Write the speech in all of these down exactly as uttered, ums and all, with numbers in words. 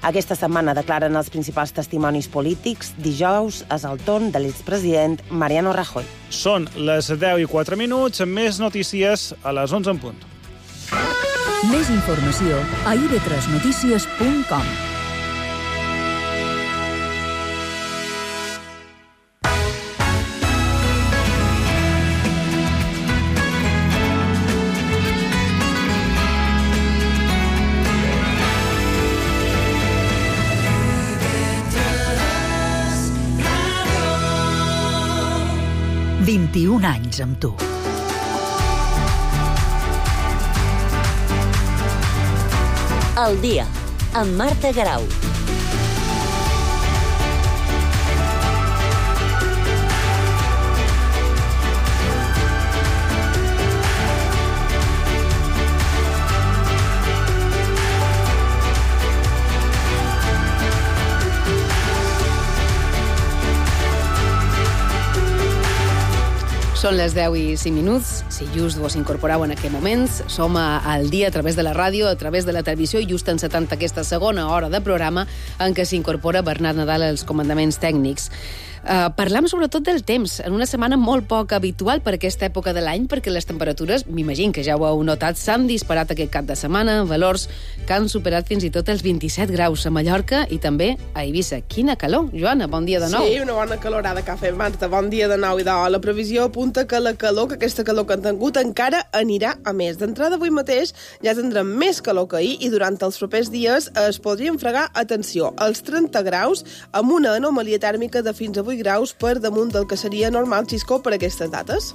Aquesta setmana declaren els principals testimonis polítics. Dijous és el torn de l'expresident Mariano Rajoy. Són les deu i quatre minuts, amb més notícies a les onze en punt. Més informació a i ve tres notícies punt com. vint-i-un anys amb tu. El dia, amb Marta Garau. Són les deu i cinc minuts. Si just vos incorporeu en aquest moment, som al dia a través de la ràdio, a través de la televisió, i just encetant aquesta segona hora de programa en què s'incorpora Bernat Nadal als comandaments tècnics. Uh, parlam sobretot del temps, en una setmana molt poc habitual per aquesta època de l'any, perquè les temperatures, m'imagino que ja ho heu notat, s'han disparat aquest cap de setmana, valors que han superat fins i tot els vint-i-set graus a Mallorca i també a Eivissa. Quina calor, Joana, bon dia de nou. Sí, una bona calorada que ha fet Marta, bon dia de nou i de la previsió apunta que la calor, que aquesta calor que han tingut encara anirà a més. D'entrada avui mateix ja tindrem més calor que ahir i durant els propers dies es podrien fregar, atenció, els trenta graus amb una anomalia tèrmica de fins a vuit graus per damunt del que seria normal, Xisco, per aquestes dates.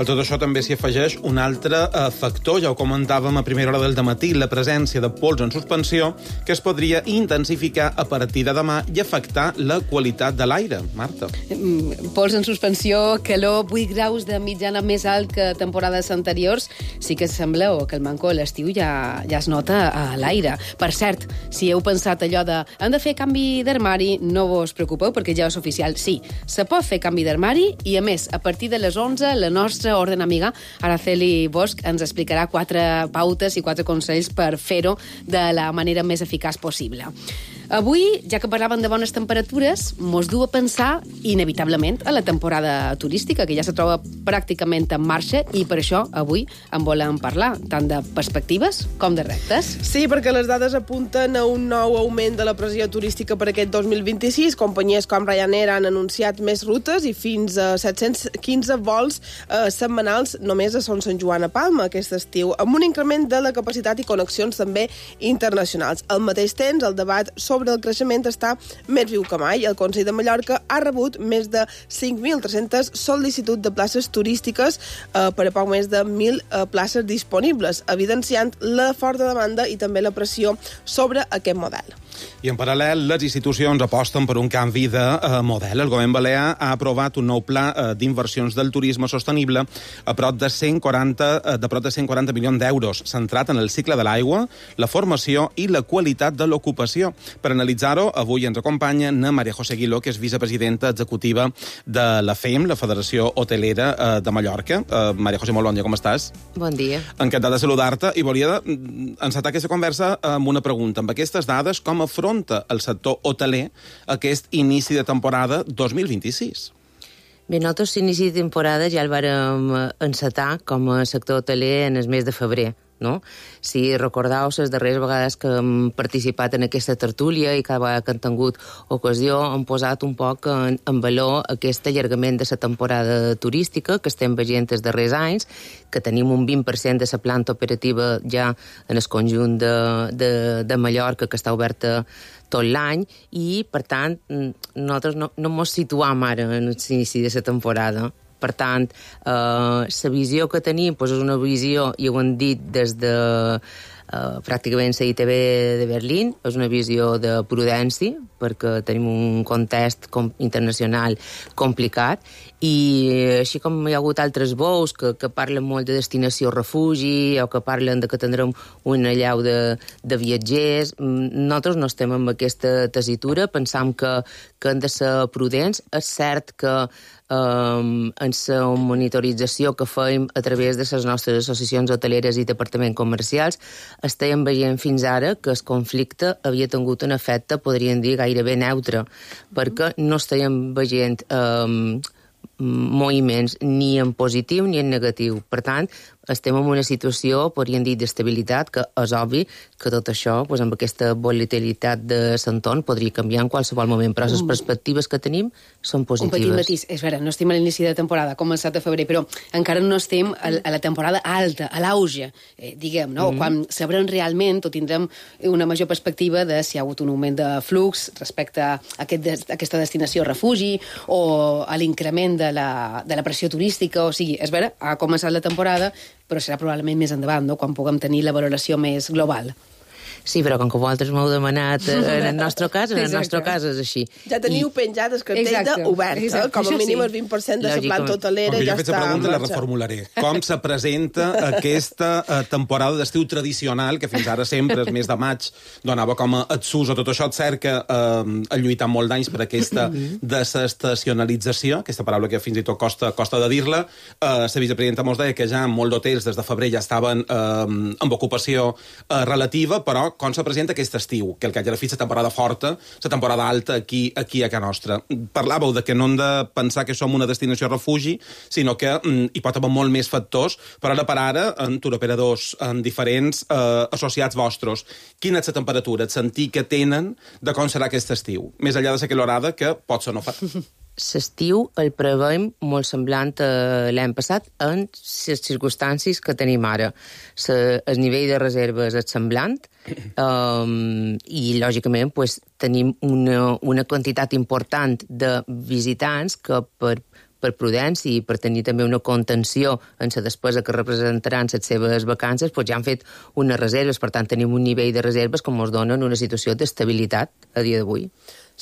A tot això també s'hi afegeix un altre eh, factor, ja ho comentàvem a primera hora del dematí, la presència de pols en suspensió, que es podria intensificar a partir de demà i afectar la qualitat de l'aire. Marta. Mm, pols en suspensió, calor, vuit graus de mitjana més alt que temporades anteriors, sí que sembla o que el manco a l'estiu ja, ja es nota a l'aire. Per cert, si heu pensat allò de hem de fer canvi d'armari, no vos preocupeu perquè ja és oficial. Sí, se pot fer canvi d'armari i, a més, a partir de les onze, la nostra orden amiga Araceli Bosch ens explicarà quatre pautes i quatre consells per fer-ho de la manera més eficaç possible. Avui, ja que parlàvem de bones temperatures, mos du a pensar, inevitablement, a la temporada turística, que ja se troba pràcticament en marxa, i per això avui en volem parlar, tant de perspectives com de reptes. Sí, perquè les dades apunten a un nou augment de la pressió turística per aquest dos mil vint-i-sis. Companyies com Ryanair han anunciat més rutes i fins a set-cents quinze vols eh, setmanals només a Son Sant Joan a Palma aquest estiu, amb un increment de la capacitat i connexions també internacionals. Al mateix temps, el debat sobre el creixement està més viu que mai. El Consell de Mallorca ha rebut més de cinc mil tres-centes sol·licituds de places turístiques eh, per a poc més de mil eh, places disponibles, evidenciant la forta demanda i també la pressió sobre aquest model. I en paral·lel, les institucions aposten per un canvi de eh, model. El govern balear ha aprovat un nou pla eh, d'inversions del turisme sostenible a prop de cent quaranta, eh, de prop de cent quaranta milions d'euros, centrat en el cicle de l'aigua, la formació i la qualitat de l'ocupació. Per analitzar-ho, avui ens acompanya na Maria José Aguiló, que és vicepresidenta executiva de la F E M, la Federació Hotelera eh, de Mallorca. Eh, Maria José, molt bon dia, com estàs? Bon dia. Encantat de saludar-te i volia encetar aquesta conversa amb una pregunta. Amb aquestes dades, com afronta el sector hoteler aquest inici de temporada dos mil vint-i-sis? Bé, nosaltres l'inici de temporada ja el vàrem encetar com a sector hoteler en el mes de febrer. No? Si recordeu, les darreres vegades que hem participat en aquesta tertúlia i cada vegada que han tingut ocasió hem posat un poc en, en valor aquest allargament de la temporada turística que estem veient els darrers anys, que tenim un vint per cent de la planta operativa ja en el conjunt de, de, de Mallorca, que està oberta tot l'any, i, per tant, nosaltres no, no ens situam ara en l'inici de la temporada. Per tant, eh, la visió que tenim doncs és una visió, i ho han dit des de eh, pràcticament la I T B de Berlín, és una visió de prudència, perquè tenim un context com, internacional complicat, i així com hi ha hagut altres veus que, que parlen molt de destinació refugi o que parlen de que tindrem un allau de, de viatgers, nosaltres no estem amb aquesta tessitura, pensam que, que hem de ser prudents. És cert que um, en la monitorització que fèiem a través de les nostres associacions hoteleres i departaments comercials, estàvem veient fins ara que el conflicte havia tingut un efecte, podríem dir, gairebé neutre, perquè no estàvem veient um, moviments ni en positiu ni en negatiu. Per tant, estem en una situació, podríem dir, d'estabilitat, que és obvi que tot això, doncs, amb aquesta volatilitat de l'entorn, podria canviar en qualsevol moment, però les perspectives que tenim són positives. Un petit matís. És vera, no estem a l'inici de temporada, començat a febrer, però encara no estem a la temporada alta, a l'auge, eh, diguem, no? Mm. Quan sabrem realment, o tindrem una major perspectiva de si hi ha hagut un augment de flux respecte a aquest des, aquesta destinació refugi o a l'increment de la, de la pressió turística, o sigui, és vera, ha començat la temporada, però serà probablement més endavant, no?, quan puguem tenir la valoració més global. Sí, però com que vosaltres m'heu demanat en el nostre cas, en el nostre cas és així. Ja teniu I... penjat el cartell d'obert, eh? Com a mínim el vint per cent de la planta hotelera ja està en marxa. Jo he fet la pregunta i la reformularé. Com se presenta aquesta uh, temporada d'estiu tradicional, que fins ara sempre, el mes de maig, donava com a etsús o tot això, et cert que uh, ha lluitat molt d'anys per aquesta desestacionalització, aquesta paraula que fins i tot costa, costa de dir-la. Uh, la vicepresidenta mos deia que ja molts d'hotels des de febrer ja estaven uh, amb ocupació uh, relativa, però com se presenta aquest estiu, que el que ja la fi la temporada forta, la temporada alta aquí, aquí a casa nostra. Parlàveu de que no hem de pensar que som una destinació refugi, sinó que mm, hi pot haver molt més factors, però ara per ara, en turoperadors en diferents eh, associats vostres, quina és la temperatura, el sentir que tenen de com serà aquest estiu, més enllà de la calorada, que pot ser no fa. L'estiu el preveiem molt semblant a l'any passat en les circumstàncies que tenim ara. Se, el nivell de reserves és semblant um, i, lògicament, pues, tenim una, una quantitat important de visitants que per per prudència i per tenir també una contenció en la despesa que representaran les seves vacances, doncs ja han fet unes reserves. Per tant, tenim un nivell de reserves que ens donen una situació d'estabilitat a dia d'avui.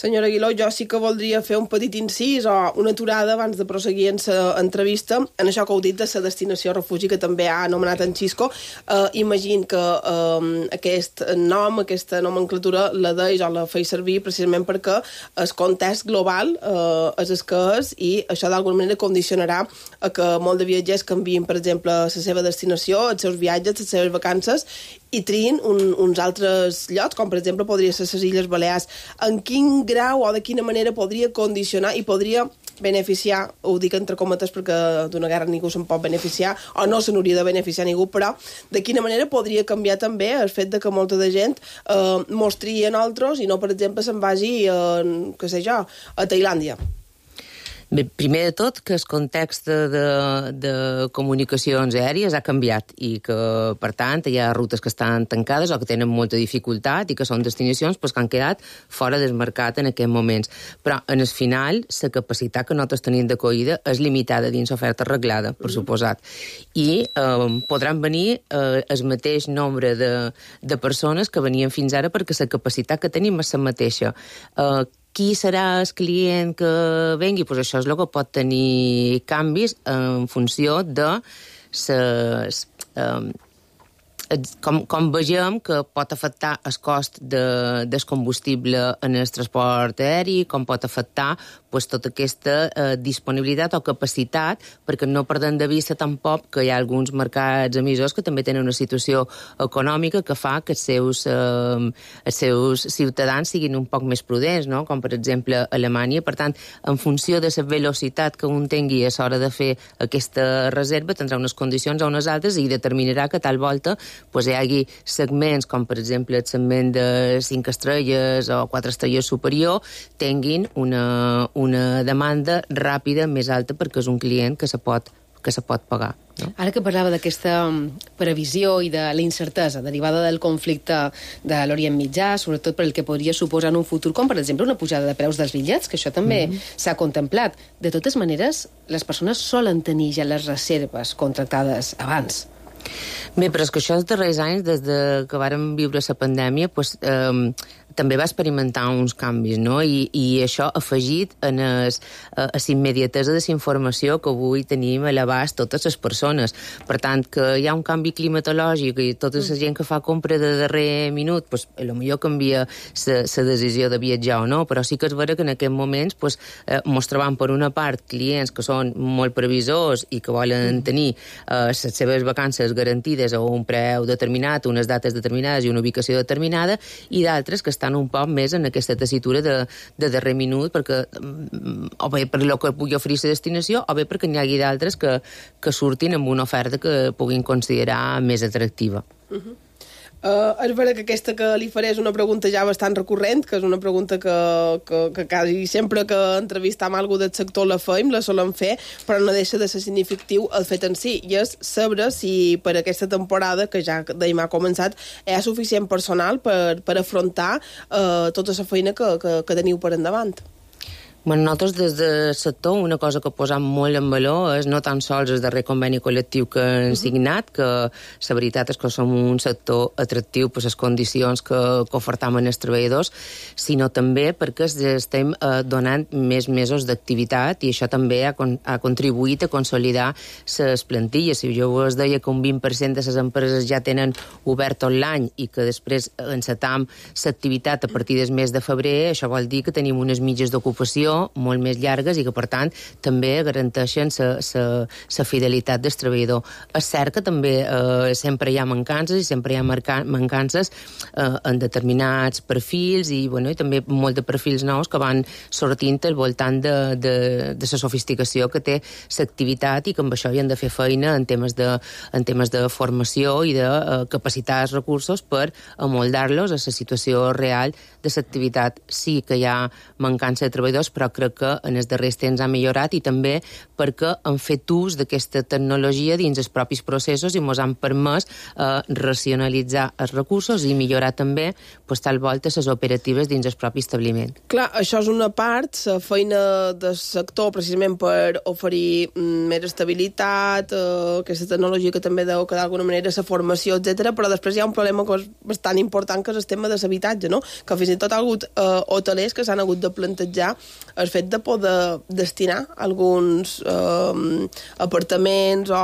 Senyora Aguiló, jo sí que voldria fer un petit incís o una aturada abans de proseguir en l'entrevista en això que heu dit de la destinació refugi que també ha anomenat en Xisco. Eh, imagino que eh, aquest nom, aquesta nomenclatura la deis o la feis servir precisament perquè el context global eh, és el que és i això d'alguna manera condicionarà a que molt de viatgers canviïn, per exemple, la seva destinació, els seus viatges, les seves vacances i triïn un, uns altres llocs, com per exemple podria ser les Illes Balears. En quin grau o de quina manera podria condicionar i podria beneficiar, ho dic entre cometes perquè d'una guerra ningú se'n pot beneficiar o no se n'hauria de beneficiar ningú, però de quina manera podria canviar també el fet de que molta de gent eh, mostri en altres i no, per exemple, se'n vagi a, què sé jo, a Tailàndia. Bé, primer de tot, que el context de, de comunicacions aèries ha canviat i que, per tant, hi ha rutes que estan tancades o que tenen molta dificultat i que són destinacions pues, que han quedat fora del mercat en aquests moments. Però, en el final, la capacitat que nosaltres tenim d'acollida és limitada dins l'oferta arreglada, per suposat. I eh, podran venir eh, el mateix nombre de, de persones que venien fins ara perquè la capacitat que tenim és la mateixa. Eh, Qui serà el client que vengui? Pues això és el que pot tenir canvis en funció de ses, um, com, com vegem que pot afectar el cost de, del combustible en el transport aeri, com pot afectar pues, tota aquesta eh, disponibilitat o capacitat, perquè no perdem de vista tampoc que hi ha alguns mercats emissors que també tenen una situació econòmica que fa que els seus, eh, els seus ciutadans siguin un poc més prudents, no? Com per exemple Alemanya. Per tant, en funció de la velocitat que un tingui a l'hora de fer aquesta reserva, tindrà unes condicions o unes altres i determinarà que tal volta pues, hi hagi segments com per exemple el segment de cinc estrelles o quatre estrelles superior tinguin una una demanda ràpida més alta perquè és un client que se pot, que se pot pagar. No? Ara que parlava d'aquesta previsió i de la incertesa derivada del conflicte de l'Orient Mitjà, sobretot per el que podria suposar en un futur, com per exemple una pujada de preus dels bitllets, que això també mm-hmm. s'ha contemplat. De totes maneres, les persones solen tenir ja les reserves contractades abans. Bé, però és que això els darrers anys, des de que vàrem viure la pandèmia, pues, eh, també va experimentar uns canvis, no? I, i això afegit en es, a, a la immediatesa de la informació que avui tenim a l'abast totes les persones. Per tant, que hi ha un canvi climatològic i tota la gent que fa compra de darrer minut, pues, a lo millor canvia la decisió de viatjar o no, però sí que és vera que en aquests moments pues, eh, mos trobam per una part clients que són molt previsors i que volen tenir eh, les seves vacances garantides a un preu determinat, unes dates determinades i una ubicació determinada, i d'altres que estan un poc més en aquesta tessitura de, de darrer minut, perquè o bé per lo que pugui oferir la destinació, o bé perquè n'hi hagi d'altres que, que surtin amb una oferta que puguin considerar més atractiva. Uh-huh. Uh, és vera que aquesta que li faré és una pregunta ja bastant recurrent, que és una pregunta que, que, que quasi sempre que entrevistam algú del sector la feim, la solem fer, però no deixa de ser significatiu el fet en si, i és saber si per aquesta temporada, que ja d'ahir ha començat, hi ha suficient personal per, per afrontar uh, tota la feina que, que, que teniu per endavant. Bueno, nosaltres des del sector una cosa que posam molt en valor és no tan sols el darrer conveni col·lectiu que hem signat, que la veritat és que som un sector atractiu per les condicions que, que ofertam als treballadors, sinó també perquè estem eh, donant més mesos d'activitat i això també ha, con ha contribuït a consolidar les plantilles. Si jo us deia que un vint per cent de les empreses ja tenen obert tot l'any i que després encetam l'activitat a partir del mes de febrer, això vol dir que tenim unes mitges d'ocupació molt més llargues i que, per tant, també garanteixen la fidelitat del treballador. És cert que també eh, sempre hi ha mancances i sempre hi ha mancances eh, en determinats perfils i, bueno, i també molt de perfils nous que van sortint al voltant de, de, de la sofisticació que té l'activitat i que amb això hi han de fer feina en temes de, en temes de formació i de eh, capacitar els recursos per amoldar-los a la situació real de l'activitat. Sí que hi ha mancança de treballadors, però crec que en els darrers temps ha millorat i també perquè han fet ús d'aquesta tecnologia dins els propis processos i ens han permès eh, racionalitzar els recursos i millorar també pues, tal volta les operatives dins el propi establiment. Clar, això és una part, la feina del sector precisament per oferir mm, més estabilitat, eh, aquesta tecnologia que també deu que d'alguna manera la formació, etcètera, però després hi ha un problema que és bastant important, que és el tema de l'habitatge, no? Que fins i tot ha hagut eh, hotelers que s'han hagut de plantejar el fet de poder destinar alguns eh, apartaments o,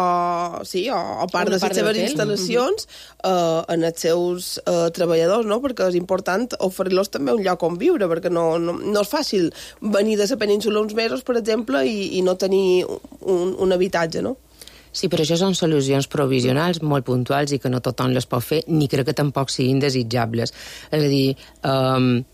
sí, o, o part de les seves instal·lacions eh, en els seus eh, treballadors, no? Perquè és important oferir-los també un lloc on viure, perquè no, no, no és fàcil venir de la península uns mesos, per exemple, i, i no tenir un, un habitatge, no? Sí, però això són solucions provisionals molt puntuals i que no tothom les pot fer, ni crec que tampoc siguin desitjables. És a dir, eh,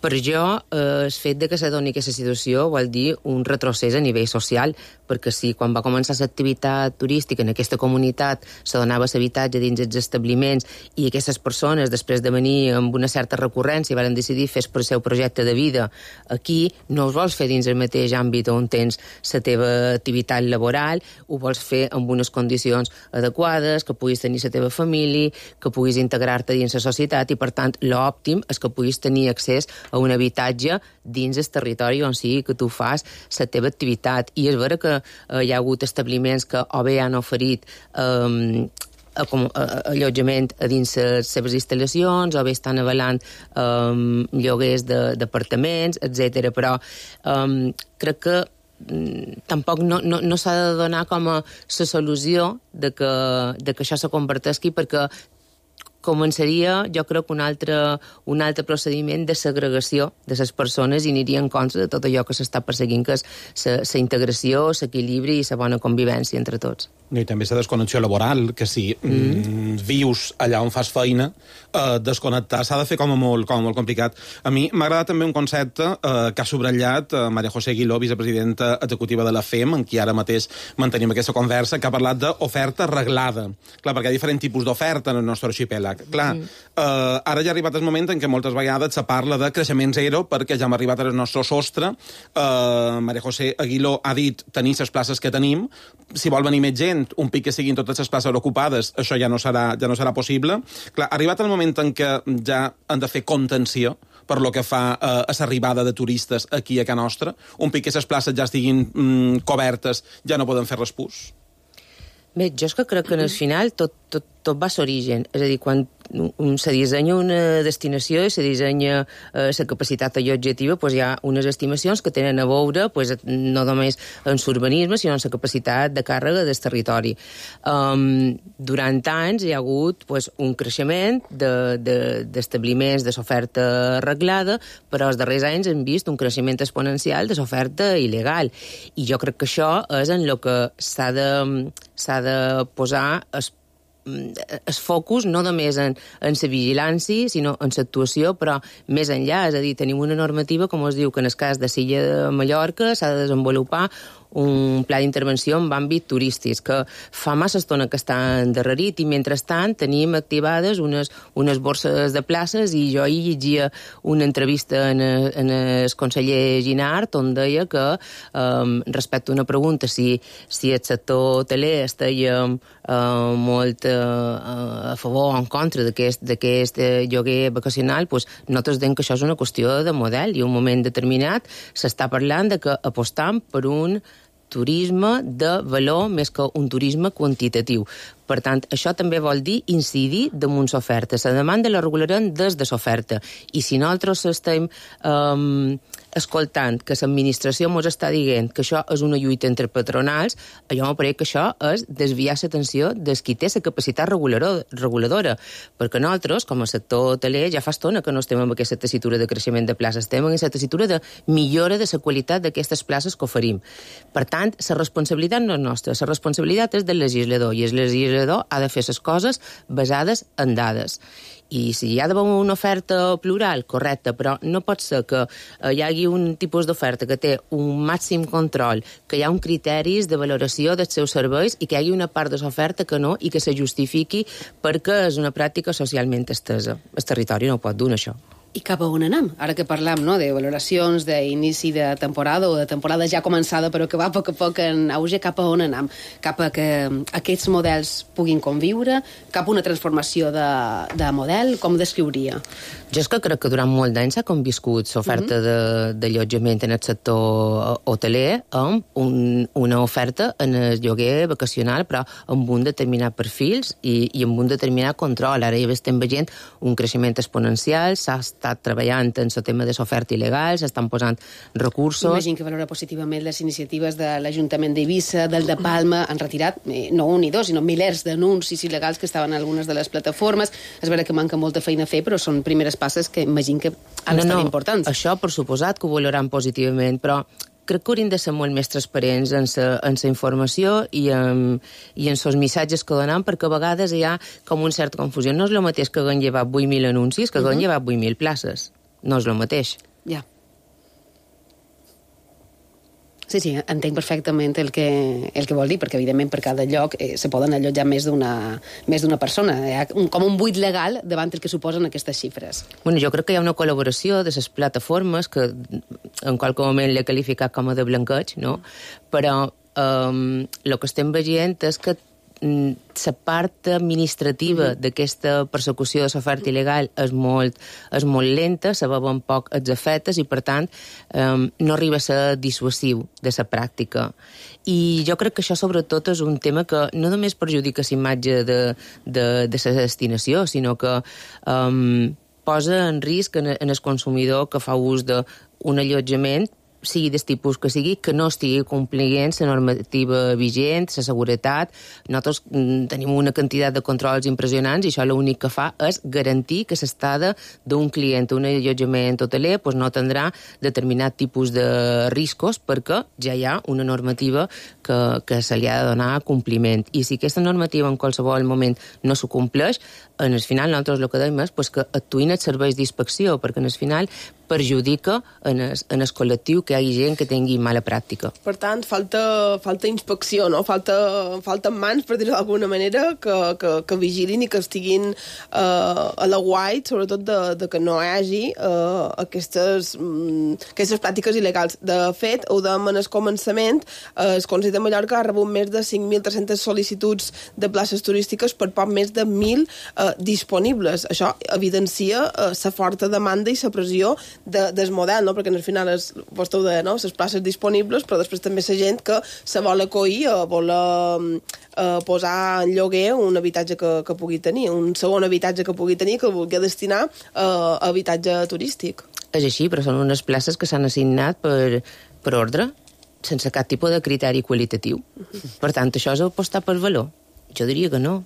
per jo, eh, el fet de que se doni aquesta situació vol dir un retrocés a nivell social, perquè si quan va començar l'activitat turística en aquesta comunitat se donava l'habitatge dins els establiments i aquestes persones, després de venir amb una certa recurrència, van decidir fer el seu projecte de vida aquí, no ho vols fer dins el mateix àmbit on tens la teva activitat laboral, ho vols fer amb unes condicions adequades, que puguis tenir la teva família, que puguis integrar-te dins la societat i, per tant, l'òptim és que puguis tenir accés a un habitatge dins el territori on sigui que tu fas la teva activitat. I és vera que eh, hi ha hagut establiments que o bé han oferit eh, com, eh, allotjament a dins les seves instal·lacions, o bé estan avalant eh, lloguers d'apartaments, etcètera. Però eh, crec que tampoc no, no, no s'ha de donar com a la solució de que, de que això se converteixi, perquè començaria, jo crec, un altre, un altre procediment de segregació de les persones i aniria en contra de tot allò que s'està perseguint, que és la integració, l'equilibri i la bona convivència entre tots. I també la desconnexió laboral, que si mm. vius allà on fas feina, eh, desconnectar s'ha de fer com a molt, com a molt complicat. A mi m'ha agradat també un concepte eh, que ha subratllat eh, Maria José Aguiló, vicepresidenta executiva de la F E M, en qui ara mateix mantenim aquesta conversa, que ha parlat d'oferta reglada. Clar, perquè hi ha diferents tipus d'oferta en el nostre arxipèlag. Clar, mm. eh, ara ja ha arribat el moment en què moltes vegades se parla de creixement zero, perquè ja hem arribat al nostre sostre. Eh, Maria José Aguiló ha dit tenir les places que tenim. Si vol venir més gent, un pic que siguin totes les places ocupades, això ja no serà, ja no serà possible. Clar, ha arribat el moment en què ja han de fer contenció per lo que fa eh, a l'arribada de turistes aquí a Can Nostra. Un pic que les places ja estiguin mm, cobertes, ja no poden fer respús. Bé, jo és que crec que en el final tot, tot, tot va a l'origen. És a dir, quan, un, se dissenya una destinació i se dissenya eh, la capacitat allotjativa, pues hi ha unes estimacions que tenen a veure pues, no només en l'urbanisme, sinó en la capacitat de càrrega del territori. Um, durant anys hi ha hagut pues, un creixement d'establiments de, de, d'oferta arreglada, però els darrers anys hem vist un creixement exponencial de l'oferta il·legal. I jo crec que això és en el que s'ha de, s'ha de posar es, es focus no només en, en la vigilància, sinó en l'actuació, però més enllà. És a dir, tenim una normativa, com es diu, que en el cas de Silla de Mallorca s'ha de desenvolupar un pla d'intervenció en àmbit turístic, que fa massa estona que està endarrerit i, mentrestant, tenim activades unes, unes borses de places i jo hi llegia una entrevista en, en el conseller Ginart on deia que, um, respecte a una pregunta si, si el sector hoteler estaria uh, molt uh, a favor o en contra d'aquest, d'aquest lloguer vacacional, pues, nosaltres diem que això és una qüestió de model i en un moment determinat s'està parlant de que apostam per un turisme de valor més que un turisme quantitatiu. Per tant, això també vol dir incidir damunt l'oferta. La demanda la regularem des de l'oferta. I si nosaltres estem um, escoltant que l'administració ens està dient que això és una lluita entre patronals, jo m'apareix que això és desviar l'atenció des qui té la capacitat reguladora. Perquè nosaltres, com a sector hoteler, ja fa estona que no estem amb aquesta tessitura de creixement de places, estem amb aquesta tessitura de millora de la qualitat d'aquestes places que oferim. Per tant, la responsabilitat no és nostra, la responsabilitat és del legislador, i el legislador ha de fer les coses basades en dades. I si hi ha d'haver una oferta plural, correcte, però no pot ser que hi hagi un tipus d'oferta que té un màxim control, que hi ha un criteris de valoració dels seus serveis i que hi hagi una part de l'oferta que no i que se justifiqui perquè és una pràctica socialment estesa. El territori no pot donar això. I cap a on anem? Ara que parlam, no?, de valoracions d'inici de temporada o de temporada ja començada però que va a poc a poc en auge, cap a on anem? Cap a que aquests models puguin conviure? Cap a una transformació de, de model? Com ho descriuria? Jo és que crec que durant molt d'anys s'ha conviscut l'oferta mm-hmm. d'allotjament en el sector hoteler amb un, una oferta en el lloguer vacacional, però amb un determinat perfils i, i amb un determinat control. Ara ja estem veient un creixement exponencial, s'ha estat treballant en el tema de l'oferta il·legal, s'estan posant recursos... Imagino que valora positivament les iniciatives de l'Ajuntament d'Eivissa, del de Palma, han retirat eh, no un ni dos, sinó milers d'anuncis il·legals que estaven en algunes de les plataformes. És vera que manca molta feina a fer, però són primeres passes que imagino que han no, estat no, importants. Això, per suposat, que ho valoran positivament, però crec que hauríem de ser molt més transparents en la informació i en, i en els missatges que donem, perquè a vegades hi ha com una certa confusió. No és el mateix que haguem llevat vuit mil anuncis que haguem uh-huh. llevat vuit mil places. No és el mateix. Ja. Sí, sí, entenc perfectament el que, el que vol dir, perquè evidentment per cada lloc eh, se poden allotjar més d'una més d'una persona. Hi ha un, com un buit legal davant el que suposen aquestes xifres. Bueno, jo crec que hi ha una col·laboració de les plataformes que en qualque moment l'he qualificat com a de blanqueig, no? Però um, el que estem veient és que la part administrativa mm-hmm. d'aquesta persecució de l'oferta il·legal és molt, és molt lenta, se veuen poc els efectes i, per tant, um, no arriba a ser dissuasiu de la pràctica. I jo crec que això, sobretot, és un tema que no només perjudica l'imatge de, de, de la destinació, sinó que um, posa en risc en, en el consumidor que fa ús d'un allotjament, sigui del tipus que sigui, que no estigui complint la normativa vigent, la seguretat. Nosaltres tenim una quantitat de controls impressionants i això l'únic que fa és garantir que l'estada d'un client a un allotjament hoteler pues, no tindrà determinat tipus de riscos perquè ja hi ha una normativa que, que se li ha de donar compliment. I si aquesta normativa en qualsevol moment no s'ho compleix, en el final nosaltres el que dèiem és pues, que actuïn els serveis d'inspecció, perquè en el final perjudica en el, en el col·lectiu que hi hagi gent que tingui mala pràctica. Per tant, falta, falta inspecció, no? Falta, falten mans, per dir-ho d'alguna manera, que, que, que vigilin i que estiguin eh, a la guait, sobretot de, de que no hi hagi eh, aquestes, mm, aquestes pràctiques il·legals. De fet, ho dèiem en el començament, eh, el Consell de Mallorca ha rebut més de cinc mil tres-centes sol·licituds de places turístiques per poc més de mil eh, disponibles. Això evidencia la eh, forta demanda i la pressió de, del model, no? Perquè al final és, vostè ho deia, no? Les places disponibles, però després també la gent que se vol acollir o vol eh, posar en lloguer un habitatge que, que pugui tenir, un segon habitatge que pugui tenir que el vulgui destinar eh, a habitatge turístic. És així, però són unes places que s'han assignat per, per ordre, sense cap tipus de criteri qualitatiu. Per tant, això és apostar per valor? Jo diria que no.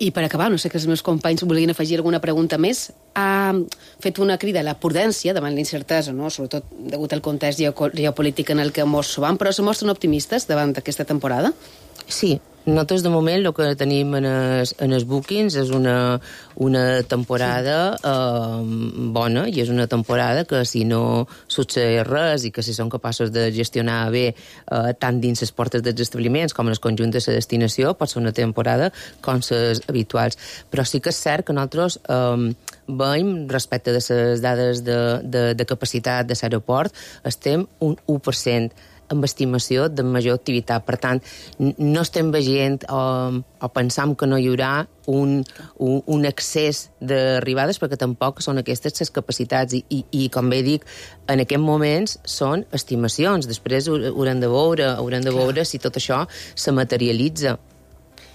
I per acabar, no sé que els meus companys volien afegir alguna pregunta més, ha fet una crida a la prudència davant la incertesa, no? Sobretot degut al context geopolític en el que ens trobam, però se mostren optimistes davant d'aquesta temporada? Sí, nosaltres de moment el que tenim en els, en els bookings és una, una temporada eh, bona, i és una temporada que si no succeeix res i que si són capaços de gestionar bé eh, tant dins les portes dels establiments com en el conjunt de la destinació, pot ser una temporada com les habituals. Però sí que és cert que nosaltres eh, veiem, respecte de les dades de, de, de capacitat de l'aeroport, estem un u per cent amb estimació de major activitat. Per tant, no estem veient o, o pensam que no hi haurà un, un, un excés d'arribades, perquè tampoc són aquestes les capacitats. I, i, i com bé dic, en aquests moments són estimacions. Després haurem de veure, haurem de veure si tot això se materialitza.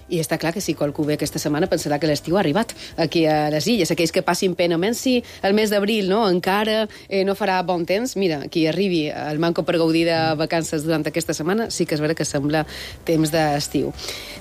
I està clar que si qualcú ve aquesta setmana pensarà que l'estiu ha arribat aquí a les Illes. Aquells que passin pena, menys si el mes d'abril no, encara eh, no farà bon temps, mira, qui arribi al Manco per gaudir de vacances durant aquesta setmana, sí que és vera que sembla temps d'estiu.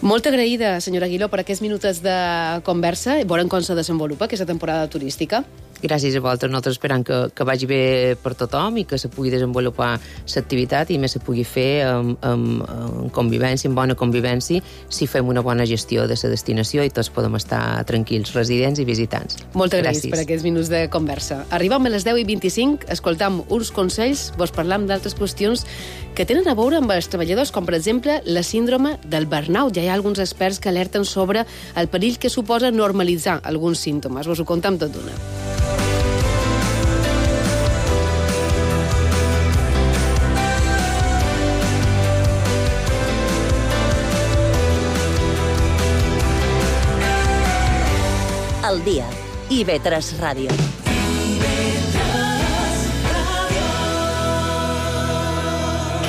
Molt agraïda, senyora Aguiló, per aquests minuts de conversa i veurem com se desenvolupa aquesta temporada turística. Gràcies a vosaltres. Nosaltres esperam que, que vagi bé per tothom i que se pugui desenvolupar l'activitat i més se pugui fer amb, amb, amb convivència, amb bona convivència, si fem una bona gestió de la destinació i tots podem estar tranquils, residents i visitants. Moltes gràcies per aquests minuts de conversa. Arribam a les deu i vint-i-cinc, escoltam uns consells, vos parlam d'altres qüestions que tenen a veure amb els treballadors, com per exemple la síndrome del burnout. Ja hi ha alguns experts que alerten sobre el perill que suposa normalitzar alguns símptomes. Vos ho contam tot d'una. Al día. I ve tres Ràdio.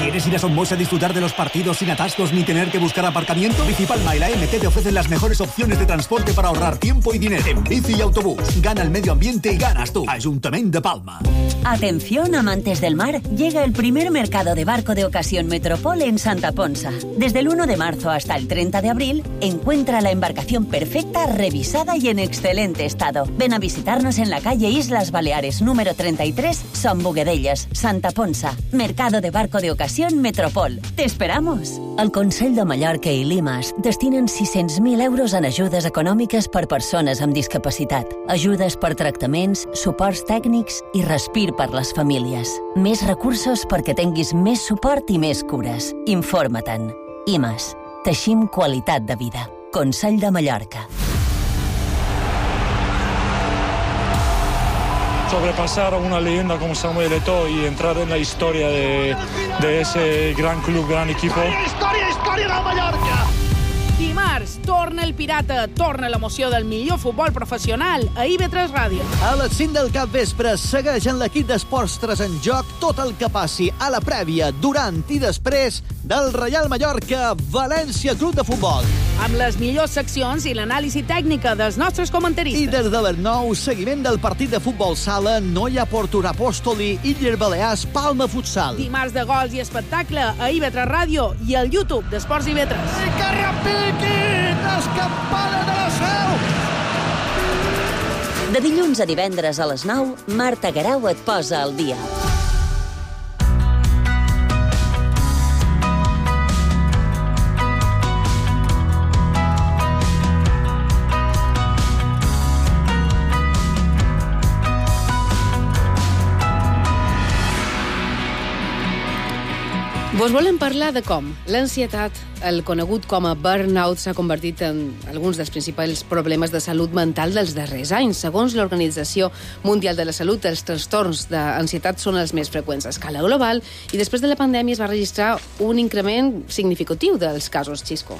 ¿Quieres ir a Somos a disfrutar de los partidos sin atascos ni tener que buscar aparcamiento? Bici Palma y la M T te ofrecen las mejores opciones de transporte para ahorrar tiempo y dinero. En bici y autobús, gana el medio ambiente y ganas tú. Ayuntamiento de Palma. Atención, amantes del mar, llega el primer mercado de barco de ocasión Metropol en Santa Ponsa. Desde el uno de marzo hasta el treinta de abril, encuentra la embarcación perfecta, revisada y en excelente estado. Ven a visitarnos en la calle Islas Baleares, número treinta y tres, Son Boguedellas, Santa Ponsa. Mercado de barco de ocasión Metropol. Te esperamos. El Consell de Mallorca i Limas destinen sis-cents mil euros en ajudes econòmiques per persones amb discapacitat, ajudes per tractaments, suports tècnics i respir per les famílies. Més recursos perquè tinguis més suport i més cures. Informa-te'n. I Mas. Teixim qualitat de vida. Consell de Mallorca. Sobrepasar a una leyenda como Samuel Eto'o y entrar en la historia de, de ese gran club, gran equipo. Història, història del Mallorca! Dimarts, torna el Pirata, torna l'emoció del millor futbol professional a I V tres Ràdio. A les cinc del capvespre segueix en l'equip d'Esports tres en joc tot el que passi a la prèvia, durant i després del Reial Mallorca València Club de Futbol. Amb les millors seccions i l'anàlisi tècnica dels nostres comentaristes. I des de les nou, seguiment del partit de futbol sala Noia Portura Apòstoli, Illes Balears, Palma Futsal. Dimarts de gols i espectacle a I V tres Ràdio i al YouTube d'Esports I V tres. I que repiqui! Escampada de la Seu! De dilluns a divendres a les nou, Marta Garau et posa al dia. Vos volem parlar de com l'ansietat, el conegut com a burnout s'ha convertit en alguns dels principals problemes de salut mental dels darrers anys. Segons l'Organització Mundial de la Salut, els trastorns d'ansietat són els més freqüents a escala global i després de la pandèmia es va registrar un increment significatiu dels casos, Xisco.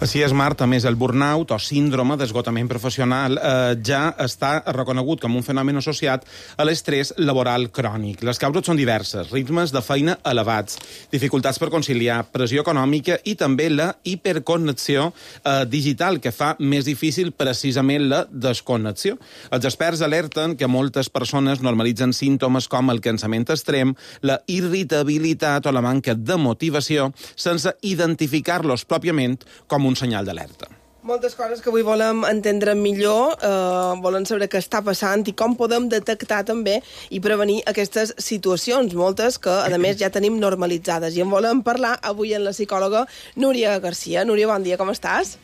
Així és, Marta. Més el burnout o síndrome d'esgotament professional eh, ja està reconegut com un fenomen associat a l'estrès laboral crònic. Les causes són diverses: ritmes de feina elevats, dificultats per conciliar, pressió econòmica i també la hiperconnexió eh, digital, que fa més difícil precisament la desconnexió. Els experts alerten que moltes persones normalitzen símptomes com el cansament extrem, la irritabilitat o la manca de motivació sense identificar-los pròpiament com un senyal d'alerta. Moltes coses que avui volem entendre millor, eh, volem saber què està passant i com podem detectar també i prevenir aquestes situacions, moltes que, a més, ja tenim normalitzades. I en volem parlar avui amb la psicòloga Núria Garcia. Núria, bon dia, com estàs?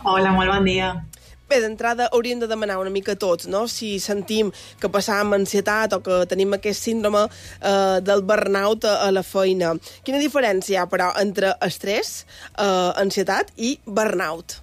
Hola, molt bon dia. Bé, d'entrada hauríem de demanar una mica tots, no? Si sentim que passam ansietat o que tenim aquest síndrome eh, del burnout a, a la feina. Quina diferència hi ha, però, entre estrès, eh, ansietat i burnout?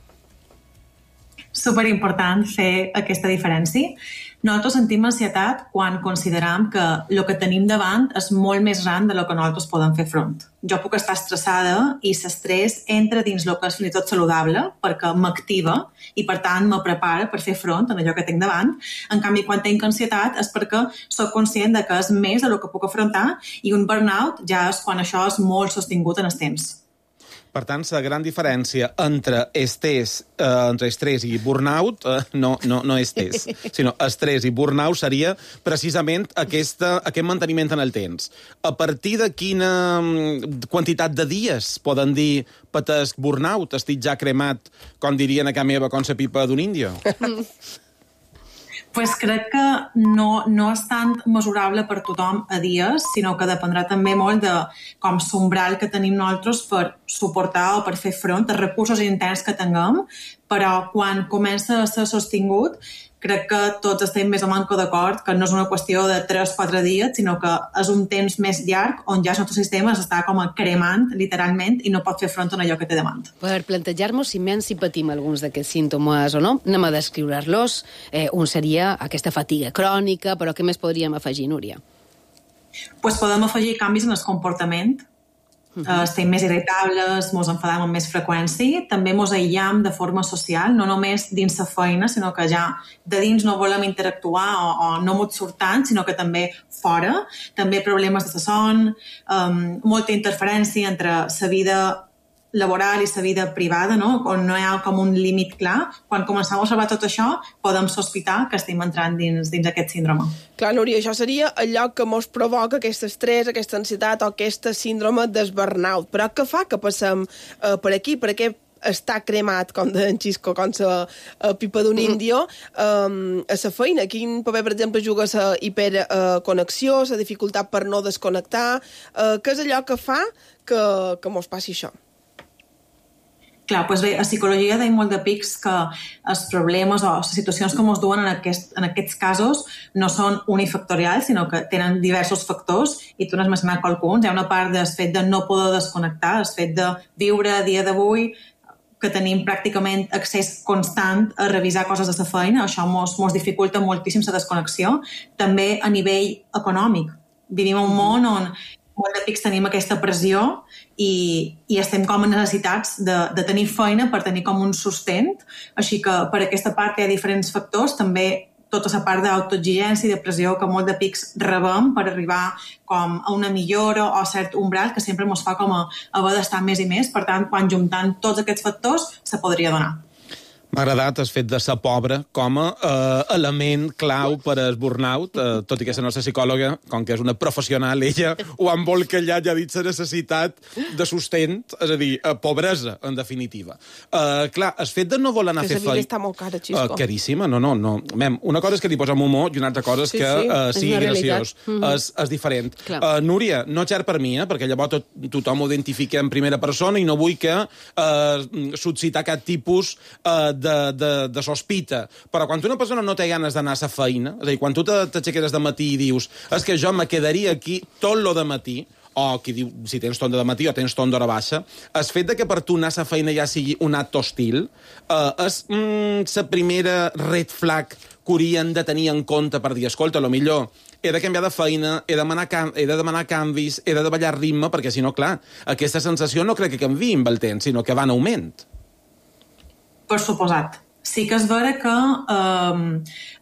Superimportant fer aquesta diferència. Nosaltres sentim ansietat quan consideram que el que tenim davant és molt més gran de lo que nosaltres podem fer front. Jo puc estar estressada i l'estrès entra dins el que és fins i tot saludable perquè m'activa i, per tant, me prepara per fer front a allò que tinc davant. En canvi, quan tinc ansietat és perquè soc conscient de que és més de lo que puc afrontar i un burnout ja és quan això és molt sostingut en el temps. Per tant, la gran diferència entre estrès, eh, entre estrès i burnout eh, no, no, no estrès, sinó estrès i burnout seria precisament aquesta, aquest manteniment en el temps. A partir de quina quantitat de dies poden dir patesc burnout, estic ja cremat, com dirien a casa meva, com la pipa d'un índio? Pues crec que no, no és tant mesurable per tothom a dies, sinó que dependrà també molt de com l'umbral que tenim nosaltres per suportar o per fer front als recursos interns que tinguem, però quan comença a ser sostingut, crec que tots estem més o menys d'acord que no és una qüestió de tres o quatre dies, sinó que és un temps més llarg on ja el nostre sistema s'està com a cremant, literalment, i no pot fer front a allò que té davant. Per plantejar-nos si menys si patim alguns d'aquests símptomes o no, anem a descriure-los. Eh, un seria aquesta fatiga crònica, però què més podríem afegir, Núria? Pues podem afegir canvis en el comportament. Uh, estem més irritables, ens enfadam amb més freqüència, també ens aïllam de forma social, no només dins la feina, sinó que ja de dins no volem interactuar o, o no ens surt tant, sinó que també fora. També problemes de son, um, molta interferència entre la vida laboral i la vida privada, no? On no hi ha com un límit clar. Quan comencem a observar tot això, podem sospitar que estem entrant dins, dins aquest síndrome. Clar, Núria, això seria allò que ens provoca aquest estrès, aquesta ansietat o aquesta síndrome del burnout. Però què fa que passem eh, per aquí? Per què està cremat, com de en Xisco, com la uh, pipa d'un índio, um, a la feina? Quin paper, per exemple, juga la hiperconnexió, uh, la dificultat per no desconnectar? Uh, què és allò que fa que, que mos passi això? Clar, doncs bé, a psicologia deim molt de pics que els problemes o les situacions que ens duen en, aquest, en aquests casos no són unifactorials, sinó que tenen diversos factors i tu n'has mencionat qualcuns. Hi ha una part del fet de no poder desconnectar, el fet de viure a dia d'avui que tenim pràcticament accés constant a revisar coses de la feina, això ens dificulta moltíssim la desconnexió. També a nivell econòmic. Vivim en un món on molt de pics tenim aquesta pressió i, i estem com en necessitats de, de tenir feina per tenir com un sustent. Així que per aquesta part hi ha diferents factors, també tota la part d'autoexigència i de pressió que molt de pics rebem per arribar com a una millora o a cert umbral que sempre ens fa com a haver d'estar més i més. Per tant, quan juntant tots aquests factors, se podria donar. M'ha agradat el fet de ser pobre com a eh, element clau per al burnout, eh, tot i que la nostra psicòloga, com que és una professional, ella ho ha embolcallat i ha dit la necessitat de sustent, és a dir, eh, pobresa, en definitiva. Eh, clar, el fet de no voler anar a fer feina... Que la vida està molt cara, Xisco. Eh, caríssima, no, no, no. Mem, una cosa és que li posem humor i una altra cosa és sí, que sí, eh, sigui graciós. Mm-hmm. És, és diferent. Uh, Núria, no xer per mi, eh, perquè llavors tot, tothom ho identifica en primera persona i no vull que eh, suscitar cap tipus eh, de, de, de sospita. Però quan una persona no té ganes d'anar a la feina, és a dir, quan tu t'aixeques de matí i dius és que jo me quedaria aquí tot lo de matí, o qui diu si tens torn de matí o tens torn d'hora baixa, el fet de que per tu anar a la feina ja sigui un acte hostil eh, és mm, la primera red flag que haurien de tenir en compte per dir, escolta, a lo millor he de canviar de feina, he de demanar, can he de demanar canvis, he de davallar ritme, perquè si no, clar, aquesta sensació no crec que canviï amb el temps, sinó que va en augment. Per suposat. Sí que és vera que eh,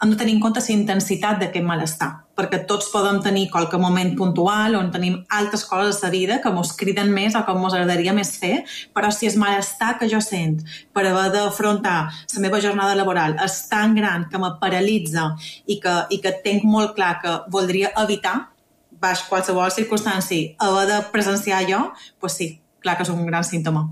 hem de tenir en compte la intensitat d'aquest malestar, perquè tots podem tenir qualque moment puntual on tenim altres coses a la vida que ens criden més o que ens agradaria més fer, però si el malestar que jo sent per haver d'afrontar la meva jornada laboral és tan gran que me paralitza i que, i que tenc molt clar que voldria evitar, baix qualsevol circumstància, haver de presenciar allò, doncs sí, clar que és un gran símptoma.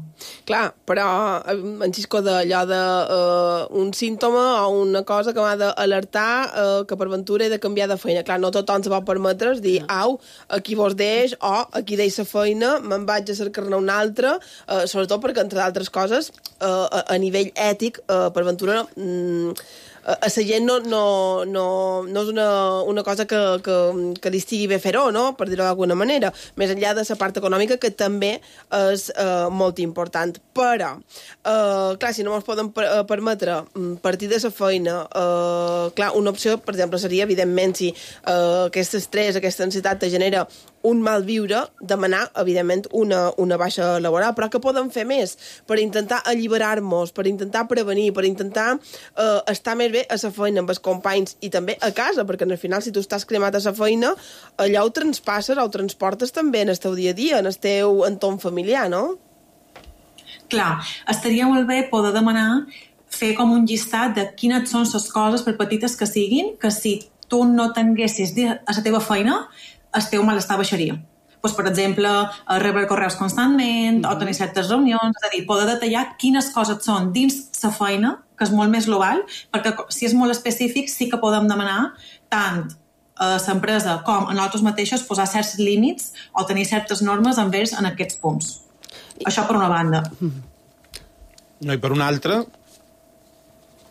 Clar, però en Xisco d'allò de uh, un símptoma o una cosa que m'ha d'alertar uh, que per ventura he de canviar de feina. Clar, no tothom se pot permetre dir, au, aquí vos deix, o aquí deix la feina, me'n vaig a cercar-ne una altra, uh, sobretot perquè, entre d'altres coses, uh, a, a nivell ètic, uh, per ventura... Mm, a la gent no, no, no, no és una, una cosa que, que, que li estigui bé fer-ho, no? Per dir-ho d'alguna manera, més enllà de la part econòmica, que també és eh, molt important. Però, eh, clar, si no ens podem per, eh, permetre partir de la feina, eh, clar, una opció, per exemple, seria, evidentment, si eh, aquest estrès, aquesta ansietat te genera un mal viure, demanar, evidentment, una, una baixa laboral. Però què podem fer més per intentar alliberar-nos, per intentar prevenir, per intentar eh, estar més bé a la feina amb els companys i també a casa, perquè al final, si tu estàs cremat a la feina, allò ho transpasses o ho transportes també en el teu dia a dia, en el teu entorn familiar, no? Clar, estaria molt bé poder demanar fer com un llistat de quines són les coses, per petites que siguin, que si tu no tinguessis a la teva feina, el teu malestar baixaria. Pues, per exemple, rebre correus constantment, mm-hmm. o tenir certes reunions, és a dir, poder detallar quines coses són dins la feina, que és molt més global, perquè si és molt específic sí que podem demanar tant a l'empresa com a nosaltres mateixos posar certs límits o tenir certes normes envers en aquests punts. Això per una banda. No, i per una altra...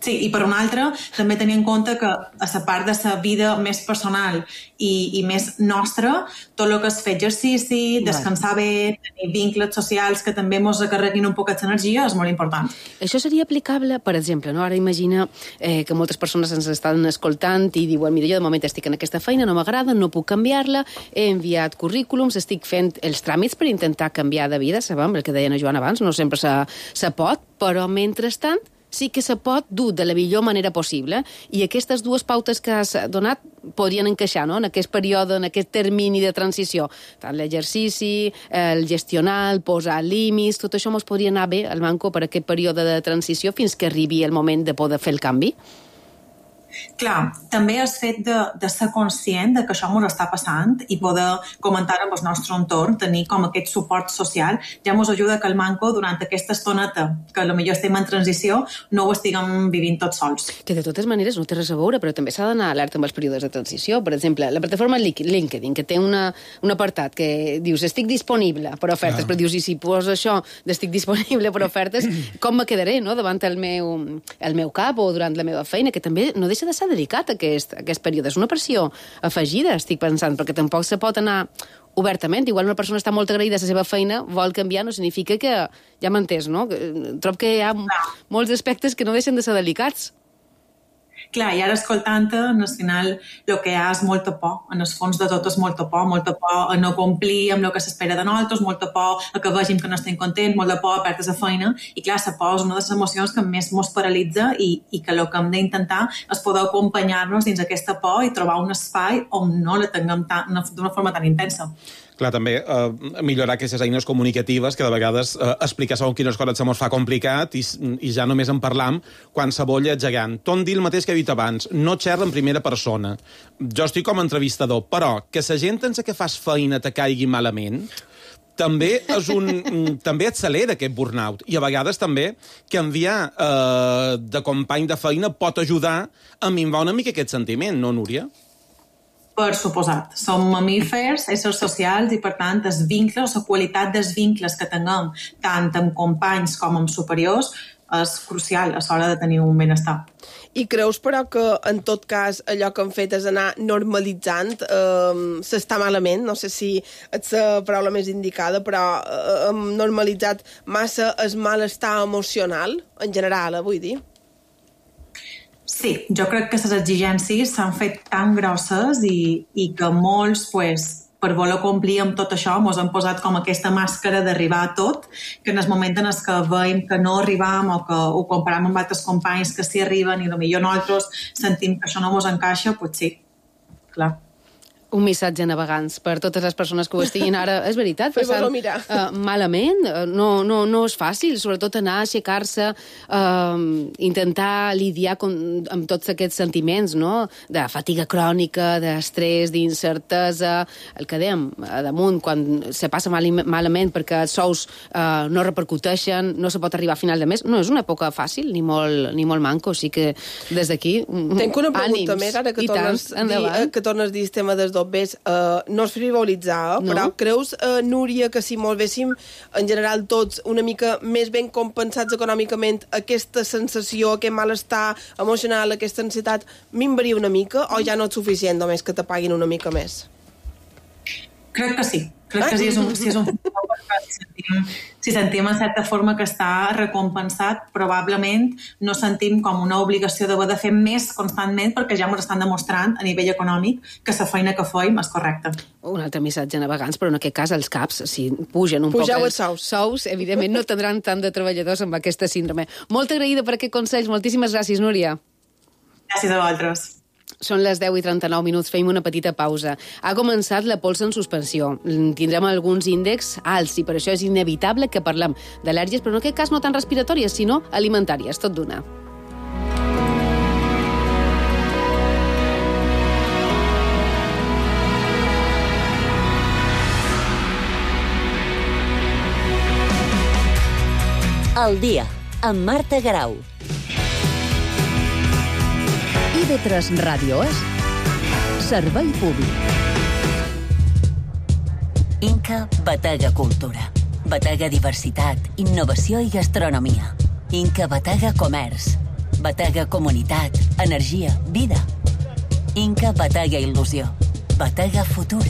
Sí, i per una altra, també tenir en compte que a la part de la vida més personal i, i més nostra, tot el que és fer exercici, descansar bé, tenir vincles socials que també ens recarreguin un poquet d'energia, és molt important. Això seria aplicable, per exemple, no? Ara imagina eh, que moltes persones ens estan escoltant i diuen, mira, jo de moment estic en aquesta feina, no m'agrada, no puc canviar-la, he enviat currículums, estic fent els tràmits per intentar canviar de vida, sabem, el que deia la Joana abans, no sempre se, se pot, però mentrestant sí que se pot dur de la millor manera possible i aquestes dues pautes que has donat podrien encaixar, no?, en aquest període, en aquest termini de transició. Tant l'exercici, el gestionar, el posar límits, tot això ens podria anar bé al Manco per aquest període de transició fins que arribi el moment de poder fer el canvi? Clar, també el fet de, de ser conscient de que això ens està passant i poder comentar amb el nostre entorn, tenir com aquest suport social, ja ens ajuda que el Manco, durant aquesta estoneta, que potser estem en transició, no ho estiguem vivint tots sols. Que de totes maneres no té res a veure, però també s'ha d'anar alerta amb els períodes de transició. Per exemple, la plataforma LinkedIn, que té una, un apartat que dius estic disponible per ofertes, clar. Però dius, i si poso això d'estic disponible per ofertes, com me quedaré, no?, davant el meu, el meu cap o durant la meva feina, que també no deixa de ser delicat aquest, aquest període. És una pressió afegida, estic pensant, perquè tampoc se pot anar obertament. Igual una persona està molt agraïda a la seva feina, vol canviar, no significa que... Ja m'entens, no? Trobo que hi ha molts aspectes que no deixen de ser delicats. Clar, i ara escoltant-te, al final el que hi ha és molta por, en el fons de tot és molta por, molta por a no complir amb el que s'espera de nosaltres, molta por a que vegin que no estem contents, molta por a perdre la feina, i clar, la por és una de les emocions que més ens paralitza i, i que el que hem d'intentar és poder acompanyar-nos dins aquesta por i trobar un espai on no la tinguem d'una forma tan intensa. Clar, també eh, millorar aquestes eines comunicatives que de vegades eh, explicar segons quines coses se mos fa complicat i, i ja només en parlam quan se bolla gegant. Ton dir el mateix que he dit abans, no xerra en primera persona. Jo estic com a entrevistador, però que la gent en la que fas feina te caigui malament també és un també accelera aquest burnout. I a vegades també canviar eh, de company de feina pot ajudar a minvar una mica aquest sentiment, no, Núria? Per suposat. Som mamífers, éssers socials, i per tant els vincles, la qualitat dels vincles que tinguem tant amb companys com amb superiors és crucial a l'hora de tenir un benestar. I creus, però, que en tot cas allò que han fet és anar normalitzant eh, s'està malament? No sé si és la paraula més indicada, però eh, hem normalitzat massa el malestar emocional, en general, eh, vull dir. Sí, jo crec que les exigències s'han fet tan grosses i, i que molts, pues, per voler complir amb tot això, ens han posat com aquesta màscara d'arribar a tot, que en el moment en què veiem que no arribam o que ho comparem amb altres companys que sí arriben i potser nosaltres sentim que això no ens encaixa, doncs sí, clar. Un missatge a navegants per totes les persones que ho estiguin ara. És veritat, passant uh, malament. No, no, no és fàcil, sobretot anar a aixecar-se, uh, intentar lidiar con, amb tots aquests sentiments, no? De fatiga crònica, d'estrès, d'incertesa, el que dèiem, a damunt, quan se passa mal, malament perquè els sous uh, no repercuteixen, no se pot arribar a final de mes. No és una època fàcil, ni molt, ni molt manco, així que des d'aquí, Tenc una pregunta ànims, més, ara que tornes, tant, dir, que tornes a dir el tema dels dobbers, uh, no és frivolitzar, eh? no. Però creus, uh, Núria, que si volvéssim en general tots una mica més ben compensats econòmicament, aquesta sensació, aquest malestar emocional, aquesta ansietat, minvaria una mica o ja no és suficient només que te paguin una mica més? Crec que sí. Crec que sí, és un, sí, és un si sentim, si sentim en certa forma que està recompensat, probablement no sentim com una obligació d'haver de fer més constantment perquè ja ens estan demostrant a nivell econòmic que la feina que feim és correcta. Un altre missatge a navegants, però en aquest cas els caps, si pugen un Pugeu poc els sous. sous, evidentment no tindran tant de treballadors amb aquesta síndrome. Molt agraïda per aquest consell. Moltíssimes gràcies, Núria. Gràcies a vosaltres. Són les deu i trenta-nou minuts, feim una petita pausa. Ha començat la pols en suspensió. Tindrem alguns índexs alts i per això és inevitable que parlem d'al·lèrgies, però en aquest cas no tan respiratòries, sinó alimentàries, tot d'una. El dia, amb Marta Garau. I V tres Ràdio és Servei Públic. Inca Batega Cultura. Batega Diversitat, Innovació i Gastronomia. Inca Batega Comerç. Batega Comunitat, Energia, Vida. Inca Batega Il·lusió. Batega Futur.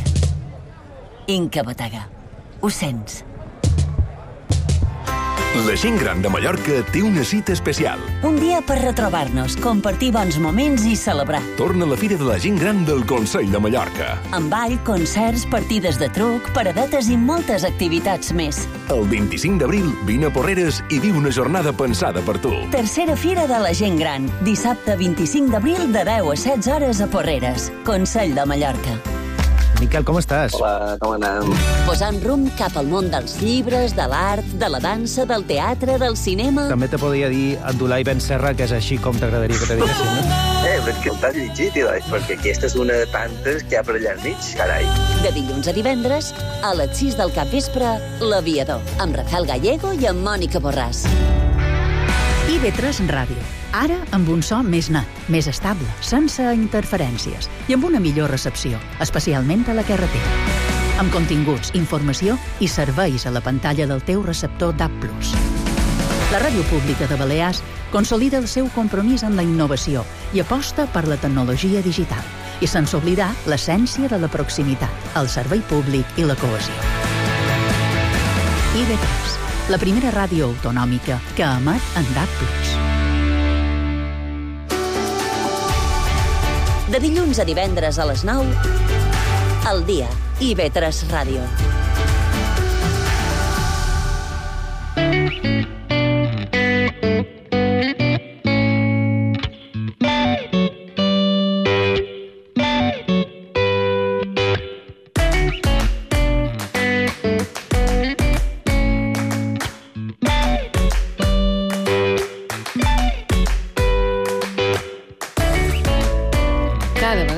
Inca Batega. Ho sents? La gent gran de Mallorca té una cita especial. Un dia per retrobar-nos, compartir bons moments i celebrar. Torna la Fira de la Gent Gran del Consell de Mallorca. Amb ball, concerts, partides de truc, paradetes i moltes activitats més. El vint-i-cinc d'abril, vine a Porreres i viu una jornada pensada per tu. Tercera Fira de la Gent Gran. Dissabte vint-i-cinc d'abril de deu a setze hores a Porreres. Consell de Mallorca. Miquel, com estàs? Hola, com anem? Posant rumb cap al món dels llibres, de l'art, de la dansa, del teatre, del cinema... També te podria dir Abdulai Ben Serra, que és així com t'agradaria que te diguessin, no? Eh, però que t'has llegit, Ilai, perquè aquesta és una de tantes que hi ha per allà al mig, carai. De dilluns a divendres, a les sis del capvespre, L'Aviador, amb Rafael Gallego i amb Mònica Borràs. I V tres Ràdio. Ara amb un so més net, més estable, sense interferències i amb una millor recepció, especialment a la carretera. Amb continguts, informació i serveis a la pantalla del teu receptor D A B plus. La Ràdio Pública de Balears consolida el seu compromís amb la innovació i aposta per la tecnologia digital i sense oblidar l'essència de la proximitat, el servei públic i la cohesió. I V tres, la primera ràdio autonòmica que emet en D A B plus. De dilluns a divendres a les nou, al dia, I V tres Ràdio.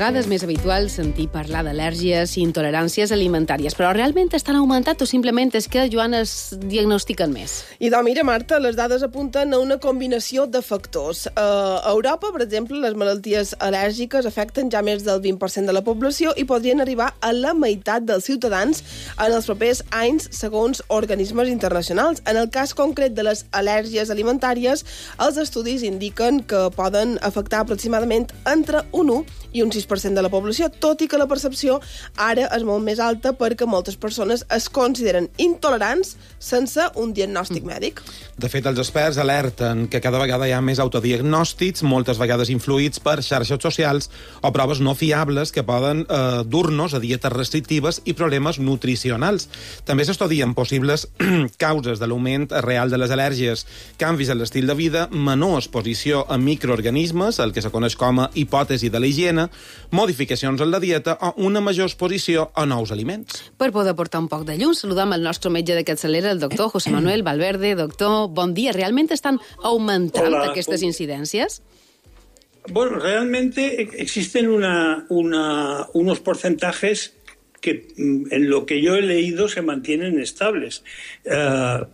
vegada és més habitual sentir parlar d'al·lèrgies i intoleràncies alimentàries, però realment estan augmentat o simplement és que, Joan, es diagnostiquen més? I doncs, mira, Marta, les dades apunten a una combinació de factors. Uh, a Europa, per exemple, les malalties al·lèrgiques afecten ja més del vint per cent de la població i podrien arribar a la meitat dels ciutadans en els propers anys, segons organismes internacionals. En el cas concret de les al·lèrgies alimentàries, els estudis indiquen que poden afectar aproximadament entre un u i un sis per cent de la població, tot i que la percepció ara és molt més alta perquè moltes persones es consideren intolerants sense un diagnòstic mm. mèdic. De fet, els experts alerten que cada vegada hi ha més autodiagnòstics, moltes vegades influïts per xarxes socials o proves no fiables que poden eh, dur-nos a dietes restrictives i problemes nutricionals. També s'estudien possibles causes de l'augment real de les al·lèrgies, canvis en l'estil de vida, menor exposició a microorganismes, el que se coneix com a hipòtesi de la higiene, modificacions en la dieta o una major exposició a nous aliments. Per poder portar un poc de llum, saludam el nostre metge de capçalera, el doctor José Manuel Valverde. Doctor, bon dia. ¿Realmente están aumentando Hola, aquestes bon... incidencias? Bueno, realmente existen una, una, unos porcentajes que en lo que yo he leído se mantienen estables. Uh,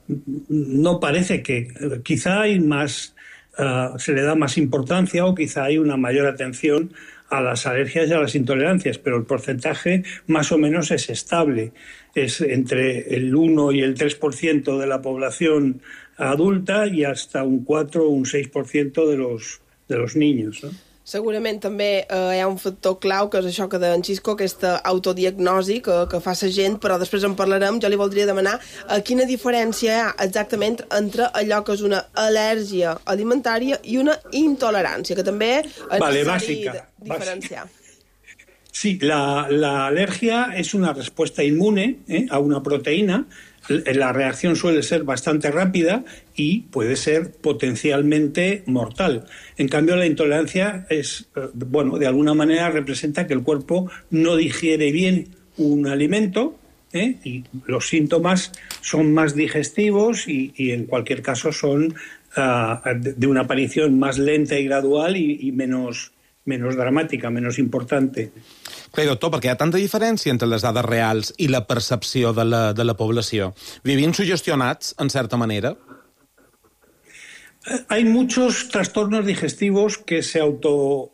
no parece que... Quizá hay más... Uh, se le da más importancia o quizá hay una mayor atención a las alergias y a las intolerancias, pero el porcentaje más o menos es estable. Es entre el uno y el tres por ciento de la población adulta y hasta un cuatro o un seis por ciento de los, de los niños, ¿no? Segurament també eh, hi ha un factor clau, que és això que deia en Xisco, aquesta autodiagnosi que, que fa la gent, però després en parlarem. Jo li voldria demanar eh, quina diferència hi ha exactament entre allò que és una al·lèrgia alimentària i una intolerància, que també és vale, necessari bàsica, diferenciar. Bàsica. Sí, la, la alergia es una respuesta inmune ¿eh? a una proteína. La reacción suele ser bastante rápida y puede ser potencialmente mortal. En cambio, la intolerancia es, bueno, de alguna manera representa que el cuerpo no digiere bien un alimento ¿eh? y los síntomas son más digestivos y, y en cualquier caso son uh, de, de una aparición más lenta y gradual y, y menos, menos dramática, menos importante. Clar, doctor, perquè hi ha tanta diferència entre les dades reals i la percepció de la, de la població. ¿Vivien sugestionats, en certa manera? Hay muchos trastornos digestivos que se auto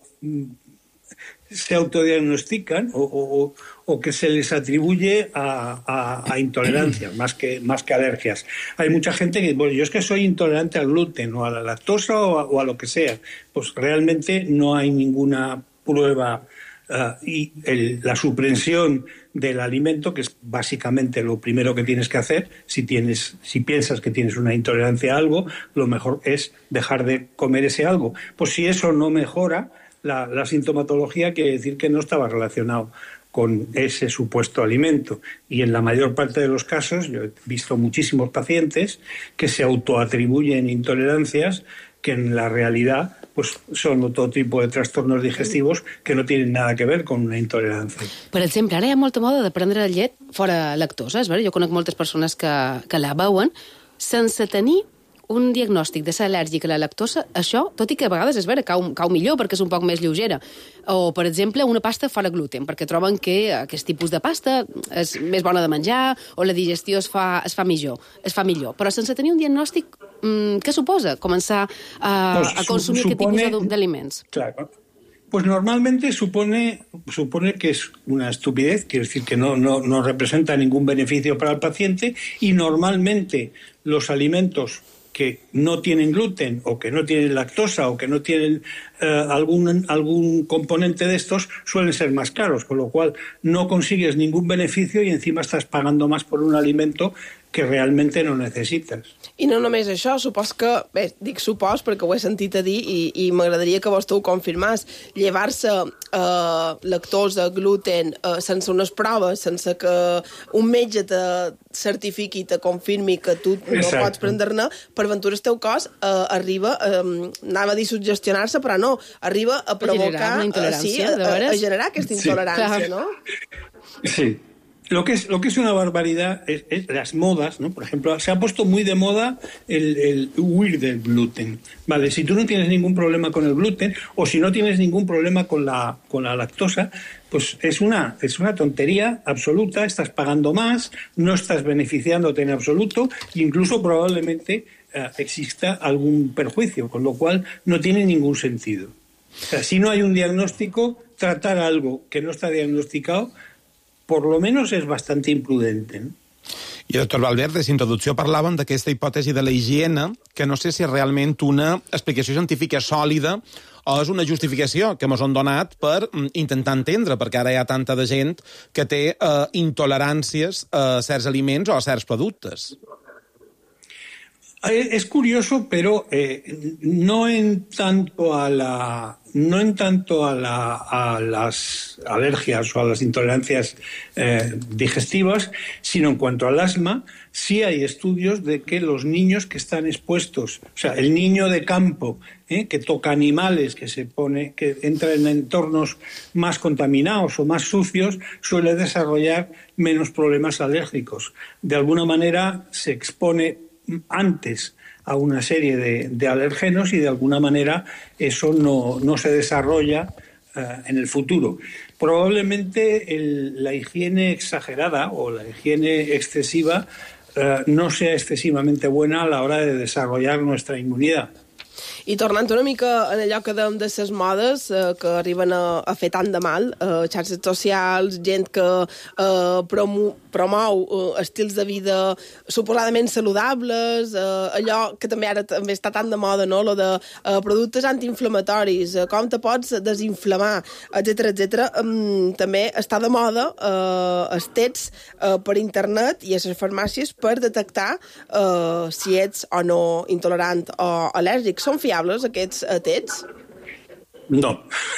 se autodiagnostican o, o, o que se les atribuye a, a, a intolerancias más que, más que alergias. Hay mucha gente que, bueno, yo es que soy intolerante al gluten o a la lactosa o a, o a lo que sea. Pues realmente no hay ninguna prueba. Uh, y el, la suprensión del alimento, que es básicamente lo primero que tienes que hacer, si, tienes, si piensas que tienes una intolerancia a algo, lo mejor es dejar de comer ese algo. Pues si eso no mejora, la, la sintomatología quiere decir que no estaba relacionado con ese supuesto alimento. Y en la mayor parte de los casos, yo he visto muchísimos pacientes que se autoatribuyen intolerancias que en la realidad pues son otro tipo de trastornos digestivos que no tienen nada que ver con una intolerancia. Per exemple, ara hi ha molta moda de prendre llet fora lactosa. És vera? Jo conec moltes persones que, que la beuen sense tenir un diagnòstic de ser al·lèrgic a la lactosa. Això, tot i que a vegades és vera, cau, cau millor perquè és un poc més lleugera. O, per exemple, una pasta fora gluten, perquè troben que aquest tipus de pasta és més bona de menjar o la digestió es fa, es fa millor. Es fa millor. Però sense tenir un diagnòstic, mmm, què suposa començar a, pues, a consumir supone, aquest tipus d'aliments? Claro. Pues normalmente supone, supone que es una estupidez, quiere decir que no, no, no representa ningún beneficio para el paciente y normalmente los alimentos que no tienen gluten o que no tienen lactosa o que no tienen eh, algún, algún componente de estos suelen ser más caros, con lo cual no consigues ningún beneficio y encima estás pagando más por un alimento que realmente no necessites. I no només això, supos que, bé, dic supos perquè ho he sentit a dir i, i m'agradaria que vostè ho confirmàs, llevar-se eh, lactosa, gluten, eh, sense unes proves, sense que un metge te certifiqui, te confirmi que tu no Exacte. Pots prendre-ne, per ventura el teu cos eh, arriba, eh, anava a dir suggestionar-se, però no, arriba a provocar... A generar una intolerància, eh, sí, a, a, a generar aquesta intolerància, sí. no? Sí. Lo que es, lo que es una barbaridad es, es las modas, ¿no? Por ejemplo, se ha puesto muy de moda el, el huir del gluten. Vale, si tú no tienes ningún problema con el gluten o si no tienes ningún problema con la, con la lactosa, pues es una, es una tontería absoluta, estás pagando más, no estás beneficiándote en absoluto e incluso probablemente eh, exista algún perjuicio, con lo cual no tiene ningún sentido. O sea, si no hay un diagnóstico, tratar algo que no está diagnosticado por lo menos és bastant imprudente, no? I, doctor Valverde, d'introducció parlàvem d'aquesta hipòtesi de la higiene, que no sé si és realment una explicació científica sòlida o és una justificació que ens han donat per intentar entendre, perquè ara hi ha tanta de gent que té eh, intoleràncies a certs aliments o a certs productes. Es curioso, pero eh, no en tanto a la no en tanto a, la, a las alergias o a las intolerancias eh, digestivas, sino en cuanto al asma, sí hay estudios de que los niños que están expuestos, o sea, el niño de campo eh, que toca animales, que se pone, que entra en entornos más contaminados o más sucios, suele desarrollar menos problemas alérgicos. De alguna manera se expone antes a una serie de, de alergenos y de alguna manera eso no, no se desarrolla uh, en el futuro. Probablemente el, la higiene exagerada o la higiene excesiva uh, no sea excesivamente buena a la hora de desarrollar nuestra inmunidad. I tornant una mica en allò que dèiem de les modes eh, que arriben a, a fer tant de mal, eh, xarxes socials, gent que eh, promo, promou eh, estils de vida suposadament saludables, eh, allò que també ara també està tan de moda, no? Lo de eh, productes antiinflamatoris, eh, com te pots desinflamar, etcètera, etcètera. Um, també està de moda eh, els tests eh, per internet i a les farmàcies per detectar eh, si ets o no intolerant o al·lèrgic. Són fiables aquests eh, tests? No,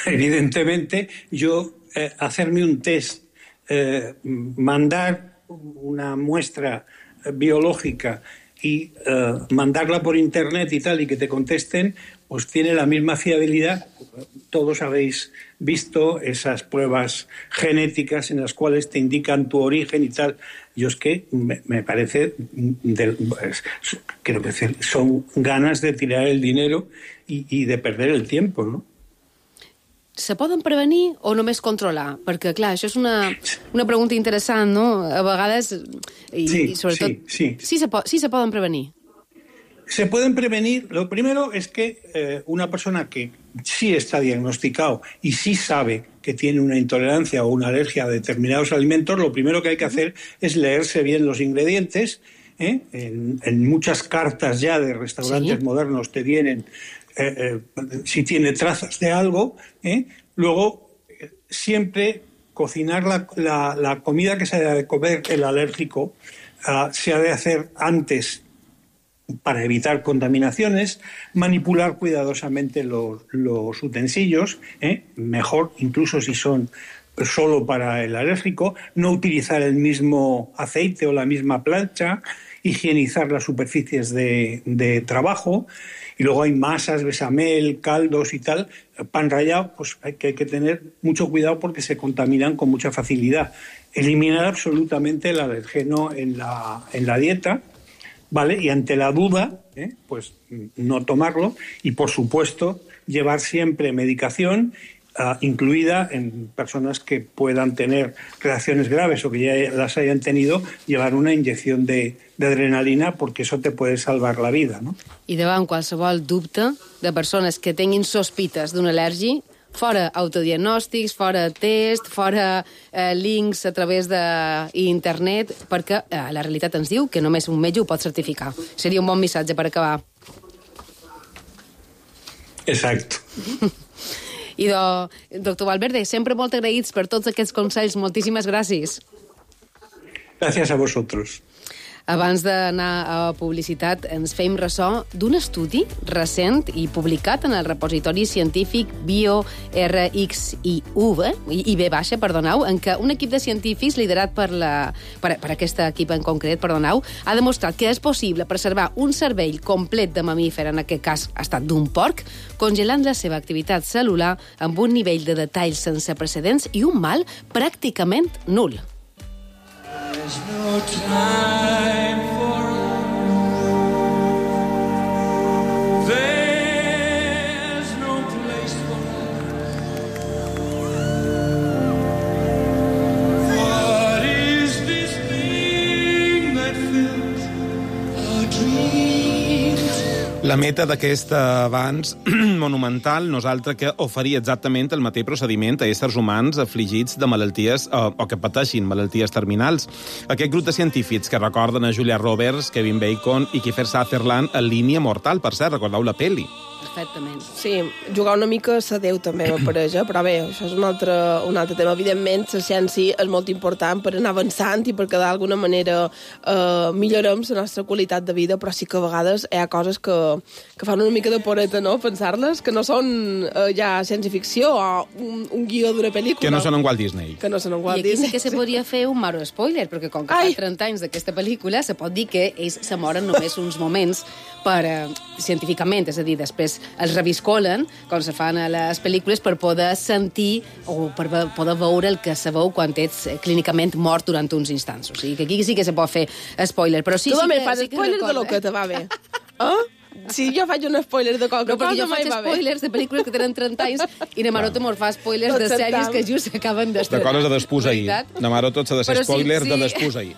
evidentemente yo eh, hacerme un test, eh, mandar una muestra biológica y eh, mandarla por internet y tal y que te contesten, pues tiene la misma fiabilidad. Todos habéis visto esas pruebas genéticas en las cuales te indican tu origen y tal. Yo es que me, me parece, de, pues, creo que son ganas de tirar el dinero y, y de perder el tiempo, ¿no? Se poden prevenir o només controlar? Perquè, clar, això és una, una pregunta interessant, no? A vegades... I, sí, i sobretot, sí, sí. Sí se, po sí se poden prevenir. Se pueden prevenir. Lo primero es que eh, una persona que sí está diagnosticado y sí sabe que tiene una intolerancia o una alergia a determinados alimentos, lo primero que hay que hacer es leerse bien los ingredientes. ¿eh? En, en muchas cartas ya de restaurantes ¿Sí? modernos te vienen eh, eh, si tiene trazas de algo. ¿eh? Luego, eh, siempre cocinar la, la, la comida que se ha de comer el alérgico uh, se ha de hacer antes para evitar contaminaciones, manipular cuidadosamente los, los utensilios, ¿eh? mejor incluso si son solo para el alérgico, no utilizar el mismo aceite o la misma plancha, higienizar las superficies de, de trabajo, y luego hay masas, bechamel, caldos y tal, pan rallado, pues hay que, hay que tener mucho cuidado porque se contaminan con mucha facilidad. Eliminar absolutamente el alergeno en la, en la dieta, ¿vale? Y ante la duda, ¿eh? pues no tomarlo y, por supuesto, llevar siempre medicación, uh, incluida en personas que puedan tener reacciones graves o que ya las hayan tenido, llevar una inyección de, de adrenalina porque eso te puede salvar la vida, ¿no? I davant qualsevol dubte de persones que tinguin sospites d'una al·lèrgia, fora autodiagnòstics, fora test, fora eh, links a través d'internet, perquè eh, la realitat ens diu que només un metge ho pot certificar. Seria un bon missatge per acabar. Exacto. I, do, doctor Valverde, sempre molt agraïts per tots aquests consells. Moltíssimes gràcies. Gràcies a vosotros. Abans d'anar a publicitat, ens fem ressò d'un estudi recent i publicat en el repositori científic BioRxiv, I B baixa, perdoneu, en què un equip de científics liderat per, la, per, per aquesta equip en concret, perdoneu, ha demostrat que és possible preservar un cervell complet de mamífer, en aquest cas ha estat d'un porc, congelant la seva activitat cel·lular amb un nivell de detall sense precedents i un mal pràcticament nul. no time for love. There's no place for love. What is this thing that fills our dreams? La meta d'aquest avanç monumental no és altra que oferir exactament el mateix procediment a éssers humans afligits de malalties o, o que pateixin malalties terminals. Aquest grup de científics que recorden a Julia Roberts, Kevin Bacon i Kiefer Sutherland en Línia mortal, per cert, recordeu la pel·li? Perfectament. Sí, jugar una mica a Déu també m'apareix, però bé, això és un altre, un altre tema. Evidentment, la ciència és molt important per anar avançant i perquè d'alguna manera eh, millorem la nostra qualitat de vida, però sí que a vegades hi ha coses que, que fan una mica de poreta, no?, pensar-les, que no són eh, ja ciència-ficció o un, un guió d'una pel·lícula. Que no són en Walt Disney. Que no són en Walt I aquí Disney. sí que se podria fer un maro spoiler, perquè com que Ai. fa trenta anys d'aquesta pel·lícula, se pot dir que ells se moren només uns moments per, eh, científicament, és a dir, després els reviscolen, com se fan a les pel·lícules, per poder sentir o per poder veure el que se veu quan ets clínicament mort durant uns instants. O sigui, que aquí sí que se pot fer spoiler. Però sí, tu sí també que, fas sí que spoilers recorda, de lo que te va bé. Eh? Si jo faig un spoiler de qualque no, cosa, jo mai faig va bé. spoilers de pel·lícules que tenen trenta anys i na Maroto mos fa spoilers Tot de sèries sentam. que just s'acaben De d'estrenar. coses de despús ahir. Na Maroto s'ha de ser Però sí, spoiler sí. de despús ahir.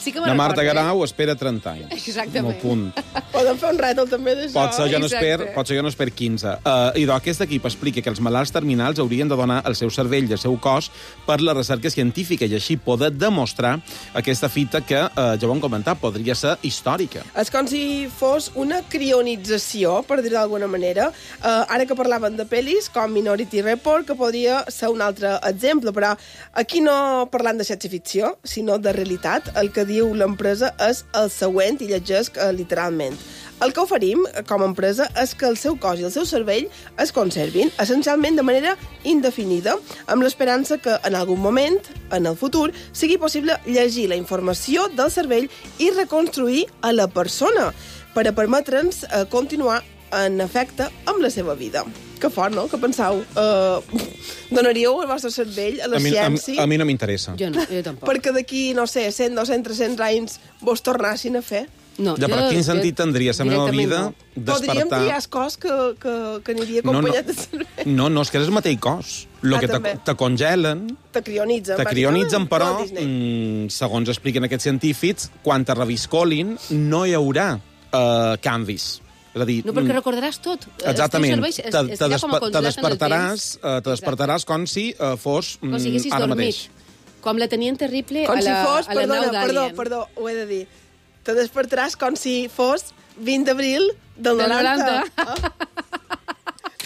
Sí que me Na Marta recordo, Garau espera trenta anys. Exactament. Un punt. Podem fer un rètol també d'això. Pot ser, jo no Exacte. esper, pot ser jo no esper quinze. Uh, I doncs aquest equip explica que els malalts terminals haurien de donar el seu cervell i el seu cos per la recerca científica i així poder demostrar aquesta fita que, uh, ja ho hem comentat, podria ser històrica. És com si fos una crionització, per dir d'alguna manera. Uh, ara que parlaven de pel·lis, com Minority Report, que podria ser un altre exemple, però aquí no parlant de ciència-ficció, sinó de realitat. El que diu l'empresa és el següent, i llegesc uh, literalment. El que oferim, com a empresa, és que el seu cos i el seu cervell es conservin, essencialment de manera indefinida, amb l'esperança que en algun moment, en el futur, sigui possible llegir la informació del cervell i reconstruir a la persona, per a permetre'ns eh, continuar, en efecte, amb la seva vida. Que fort, no? Que penseu? Uh, donaríeu el vostre cervell a la A mi, a, ciència? a mi no m'interessa. Jo no, jo tampoc. Perquè d'aquí, no sé, cent, dos-cents, tres-cents anys vos tornassin a fer? No, ja, però quin sentit tindria la meva vida no. Podríem despertar... dir has cos que, que, que aniria acompanyat de cervell. No, no, és que és el mateix cos. Lo Ah, que te, també. te congelen, Te crionitzen. te crionitzen, però, Walt Disney. mm, segons expliquen aquests científics, quan te reviscolin no hi haurà uh, canvis. És a dir, No, perquè recordaràs tot. exactament, El teu cervell te, es- te, estarà com a despe te congelat en el despertaràs, uh, te despertaràs com si uh, fos Com si mm, haguessis ara dormit. mateix. Com la tenien terrible Com a la, si fos, a la perdona, nau perdó, d'Alien. perdó, ho he de dir. Te despertaràs com si fos vint d'abril del Del noranta. noranta. Ah.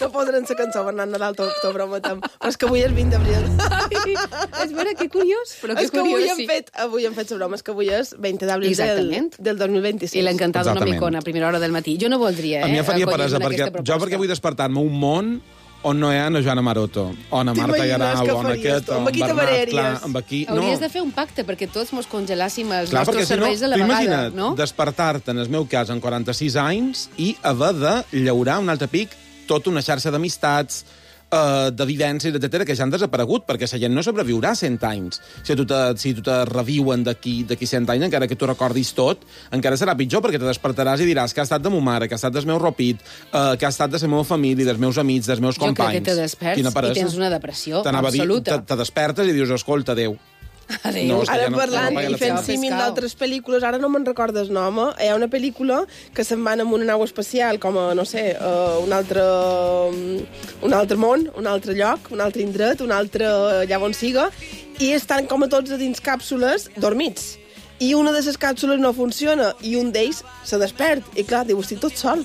No podran ser cançó Bernat Nadal, t'ho t'ho prometem. Però és que avui és vint d'abril. És vera, que curiós. Però que és que avui curiós, hem sí. fet, avui hem fet la broma, és que avui és vint d'abril del, Exactament. del dos mil vint-i-sis. I l'ha encantat una Exactament. micona a primera hora del matí. Jo no voldria, eh? A mi em faria acollir-me peresa, en perquè aquesta jo proposta. perquè vull despertar-me un món on no hi ha na Joana Maroto, o na Marta T'imagines Garau, què o na faries aquest, tu? o Amb en qui te Bernat, barallaries? clar, amb aquí... Hauries no. de fer un pacte perquè tots mos congelàssim els Clar, perquè nostres si no, cervells a la tu vegada, imagina't no? despertar-te, en el meu cas, en quaranta-sis anys, i haver de llaurar un altre pic tota una xarxa d'amistats, eh, de vivències, etcètera, que ja han desaparegut, perquè la gent no sobreviurà cent anys. Si tu te, si tu te reviuen d'aquí d'aquí cent anys, encara que tu recordis tot, encara serà pitjor, perquè te despertaràs i diràs que ha estat de ma mare, que ha estat del meu ropit, eh, que ha estat de la meva família, dels meus amics, dels meus Jo crec companys. que te desperts Quina i peresa. tens una depressió T'anava a dir, absoluta. te, te despertes i dius, escolta, adéu. Adéu. No, és que Ara ja no- parlant ja no i paga fent la pena. símil d'altres pel·lícules, ara no me'n recordes el nom, eh? Hi ha una pel·lícula que se'n van amb una nau espacial, com a, no sé, uh, un altre un altre món, un altre lloc, un altre indret, un altre allà on siga, i estan com a tots a dins càpsules dormits. I una de les càpsules no funciona, i un d'ells se despert. I clar, diu, estic tot sol.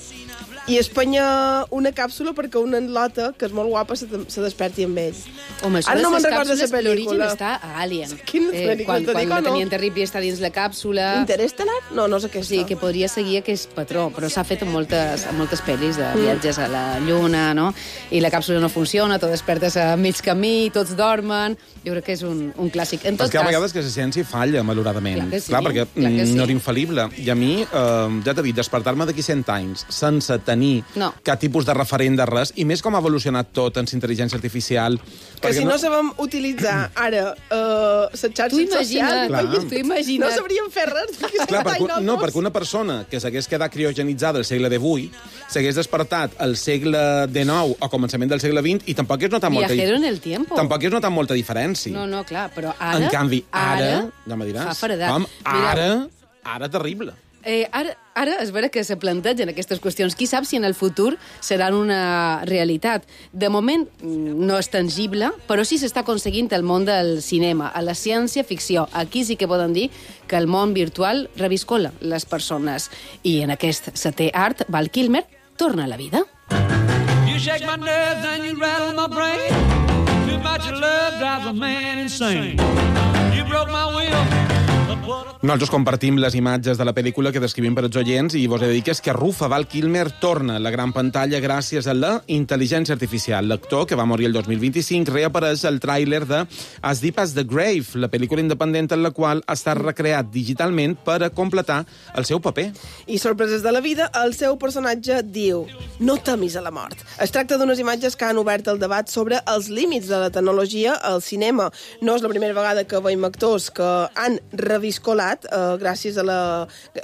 I es penya una càpsula perquè una lota, que és molt guapa, se, se desperti amb ell. Home, això Ara de no me'n les recordo càpsules, la l'origen pel·lícula. està a Alien. Quina Eh, pel·lícula, quan te quan dic la o no? tenien terrible està dins la càpsula... Interestelar? No, no és aquesta. Sí, que podria seguir aquest patró, però s'ha fet en moltes, en moltes pel·lis Mm. de viatges a la Lluna, no? I la càpsula no funciona, tu despertes a mig camí, tots dormen... Jo crec que és un, un clàssic. En tot És que hi ha cas, vegades que la ciència falla, malauradament. Clar que sí, clar perquè clar que mm, sí. no era infal·lible. I a mi, eh, ja t'he dit, despertar-me d'aquí cent anys sense tenir tenir no. cap tipus de referent de res, i més com ha evolucionat tot en intel·ligència artificial. Que si no, no sabem utilitzar ara uh, les xarxes socials, tu imagina't. No sabríem fer res. Clar, perquè, no, perquè una persona que s'hagués quedat criogenitzada al segle divuit s'hagués despertat al segle dinou o començament del segle vint i tampoc és notat molta, Viajero en el tiempo. Tampoc és notat molta diferència. No, no, clar, però ara... En canvi, ara, ara ja me diràs, fa feredat. com, ara, ara terrible. Eh, ara, ara és vera que se plantegen aquestes qüestions. Qui sap si en el futur seran una realitat. De moment no és tangible, però sí s'està aconseguint el món del cinema, a la ciència-ficció. Aquí sí que poden dir que el món virtual reviscola les persones. I en aquest setè art, Val Kilmer torna a la vida. You shake my nerves and you rattle my brain. Too much love drives a man insane. You broke my will. Nosaltres compartim les imatges de la pel·lícula que descrivim per als oients i vos he de dir que és que Rufa Val Kilmer torna a la gran pantalla gràcies a la intel·ligència artificial. L'actor, que va morir el dos mil vint-i-cinc, reapareix al tràiler de As Deep as the Grave, la pel·lícula independent en la qual ha estat recreat digitalment per a completar el seu paper. I sorpreses de la vida, el seu personatge diu: no temis a la mort. Es tracta d'unes imatges que han obert el debat sobre els límits de la tecnologia al cinema. No és la primera vegada que veiem actors que han reviscolat eh, gràcies a la,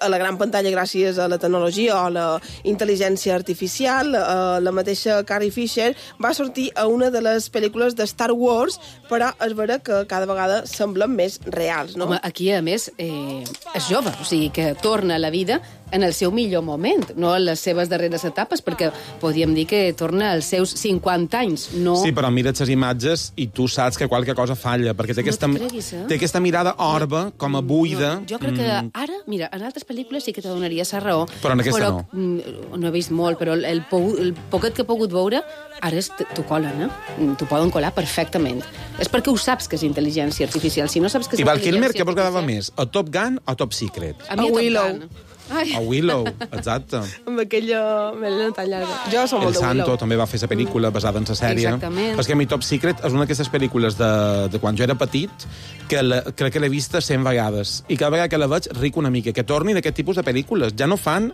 a la gran pantalla, gràcies a la tecnologia o a la intel·ligència artificial. Eh, la mateixa Carrie Fisher va sortir a una de les pel·lícules de Star Wars, però és vera que cada vegada semblen més reals, no? Home, aquí, a més, eh, és jove, o sigui que torna a la vida en el seu millor moment, no en les seves darreres etapes, perquè podríem dir que torna als seus cinquanta anys, no... Sí, però mira't les imatges i tu saps que qualque cosa falla, perquè té aquesta, no creguis, eh? té aquesta mirada orba, com a buida. No, jo crec que ara, mira, en altres pel·lícules sí que te donaria sa raó. Però en aquesta però, no. No he vist molt, però el, el, el poquet que he pogut veure, ara t'ho colen, eh? T'ho poden colar perfectament. És perquè ho saps que és intel·ligència artificial. Si no saps que és I Val intel·ligència Kilmer, què vos quedava més? A Top Gun o Top Secret? A mi a Willow. Ai. A Willow, exacte. Amb aquella melena tan llarga. Jo som El molt de Santo Willow. també va fer la pel·lícula basada en la sèrie. Exactament. És que a mi Top Secret és una d'aquestes pel·lícules de, de quan jo era petit que la, crec que l'he vista cent vegades. I cada vegada que la veig ric una mica. Que torni d'aquest tipus de pel·lícules. Ja no fan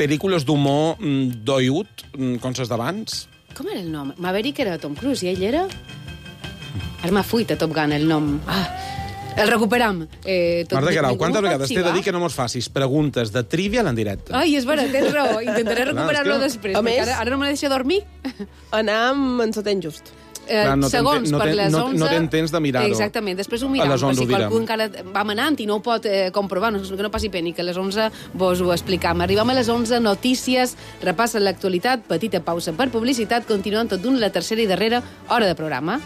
pel·lícules d'humor mm, doiut, mm, com les d'abans. Com era el nom? Maverick era Tom Cruise i ell era... Ara m'ha fuit a Top Gun el nom. Ah, el recuperam. Eh, tot Marta Guerau, quantes no vegades t'he de dir que no mos facis preguntes de trivial en directe? Ai, és vera, tens raó. Intentaré recuperar-lo que... després, A perquè més, ara, ara no me deixa dormir. Anam en setè just. Eh, Clar, no segons, no per ten, les no, onze... no ten temps de mirar-ho. Exactament, després ho A miram, les per onze si ho qualcú direm. encara va manant i no ho pot eh, comprovar, no, que no passi pena, i que a les onze vos ho explicam. Arribam a les onze, notícies, repassen l'actualitat, petita pausa per publicitat, continuant tot d'un la tercera i darrera hora de programa.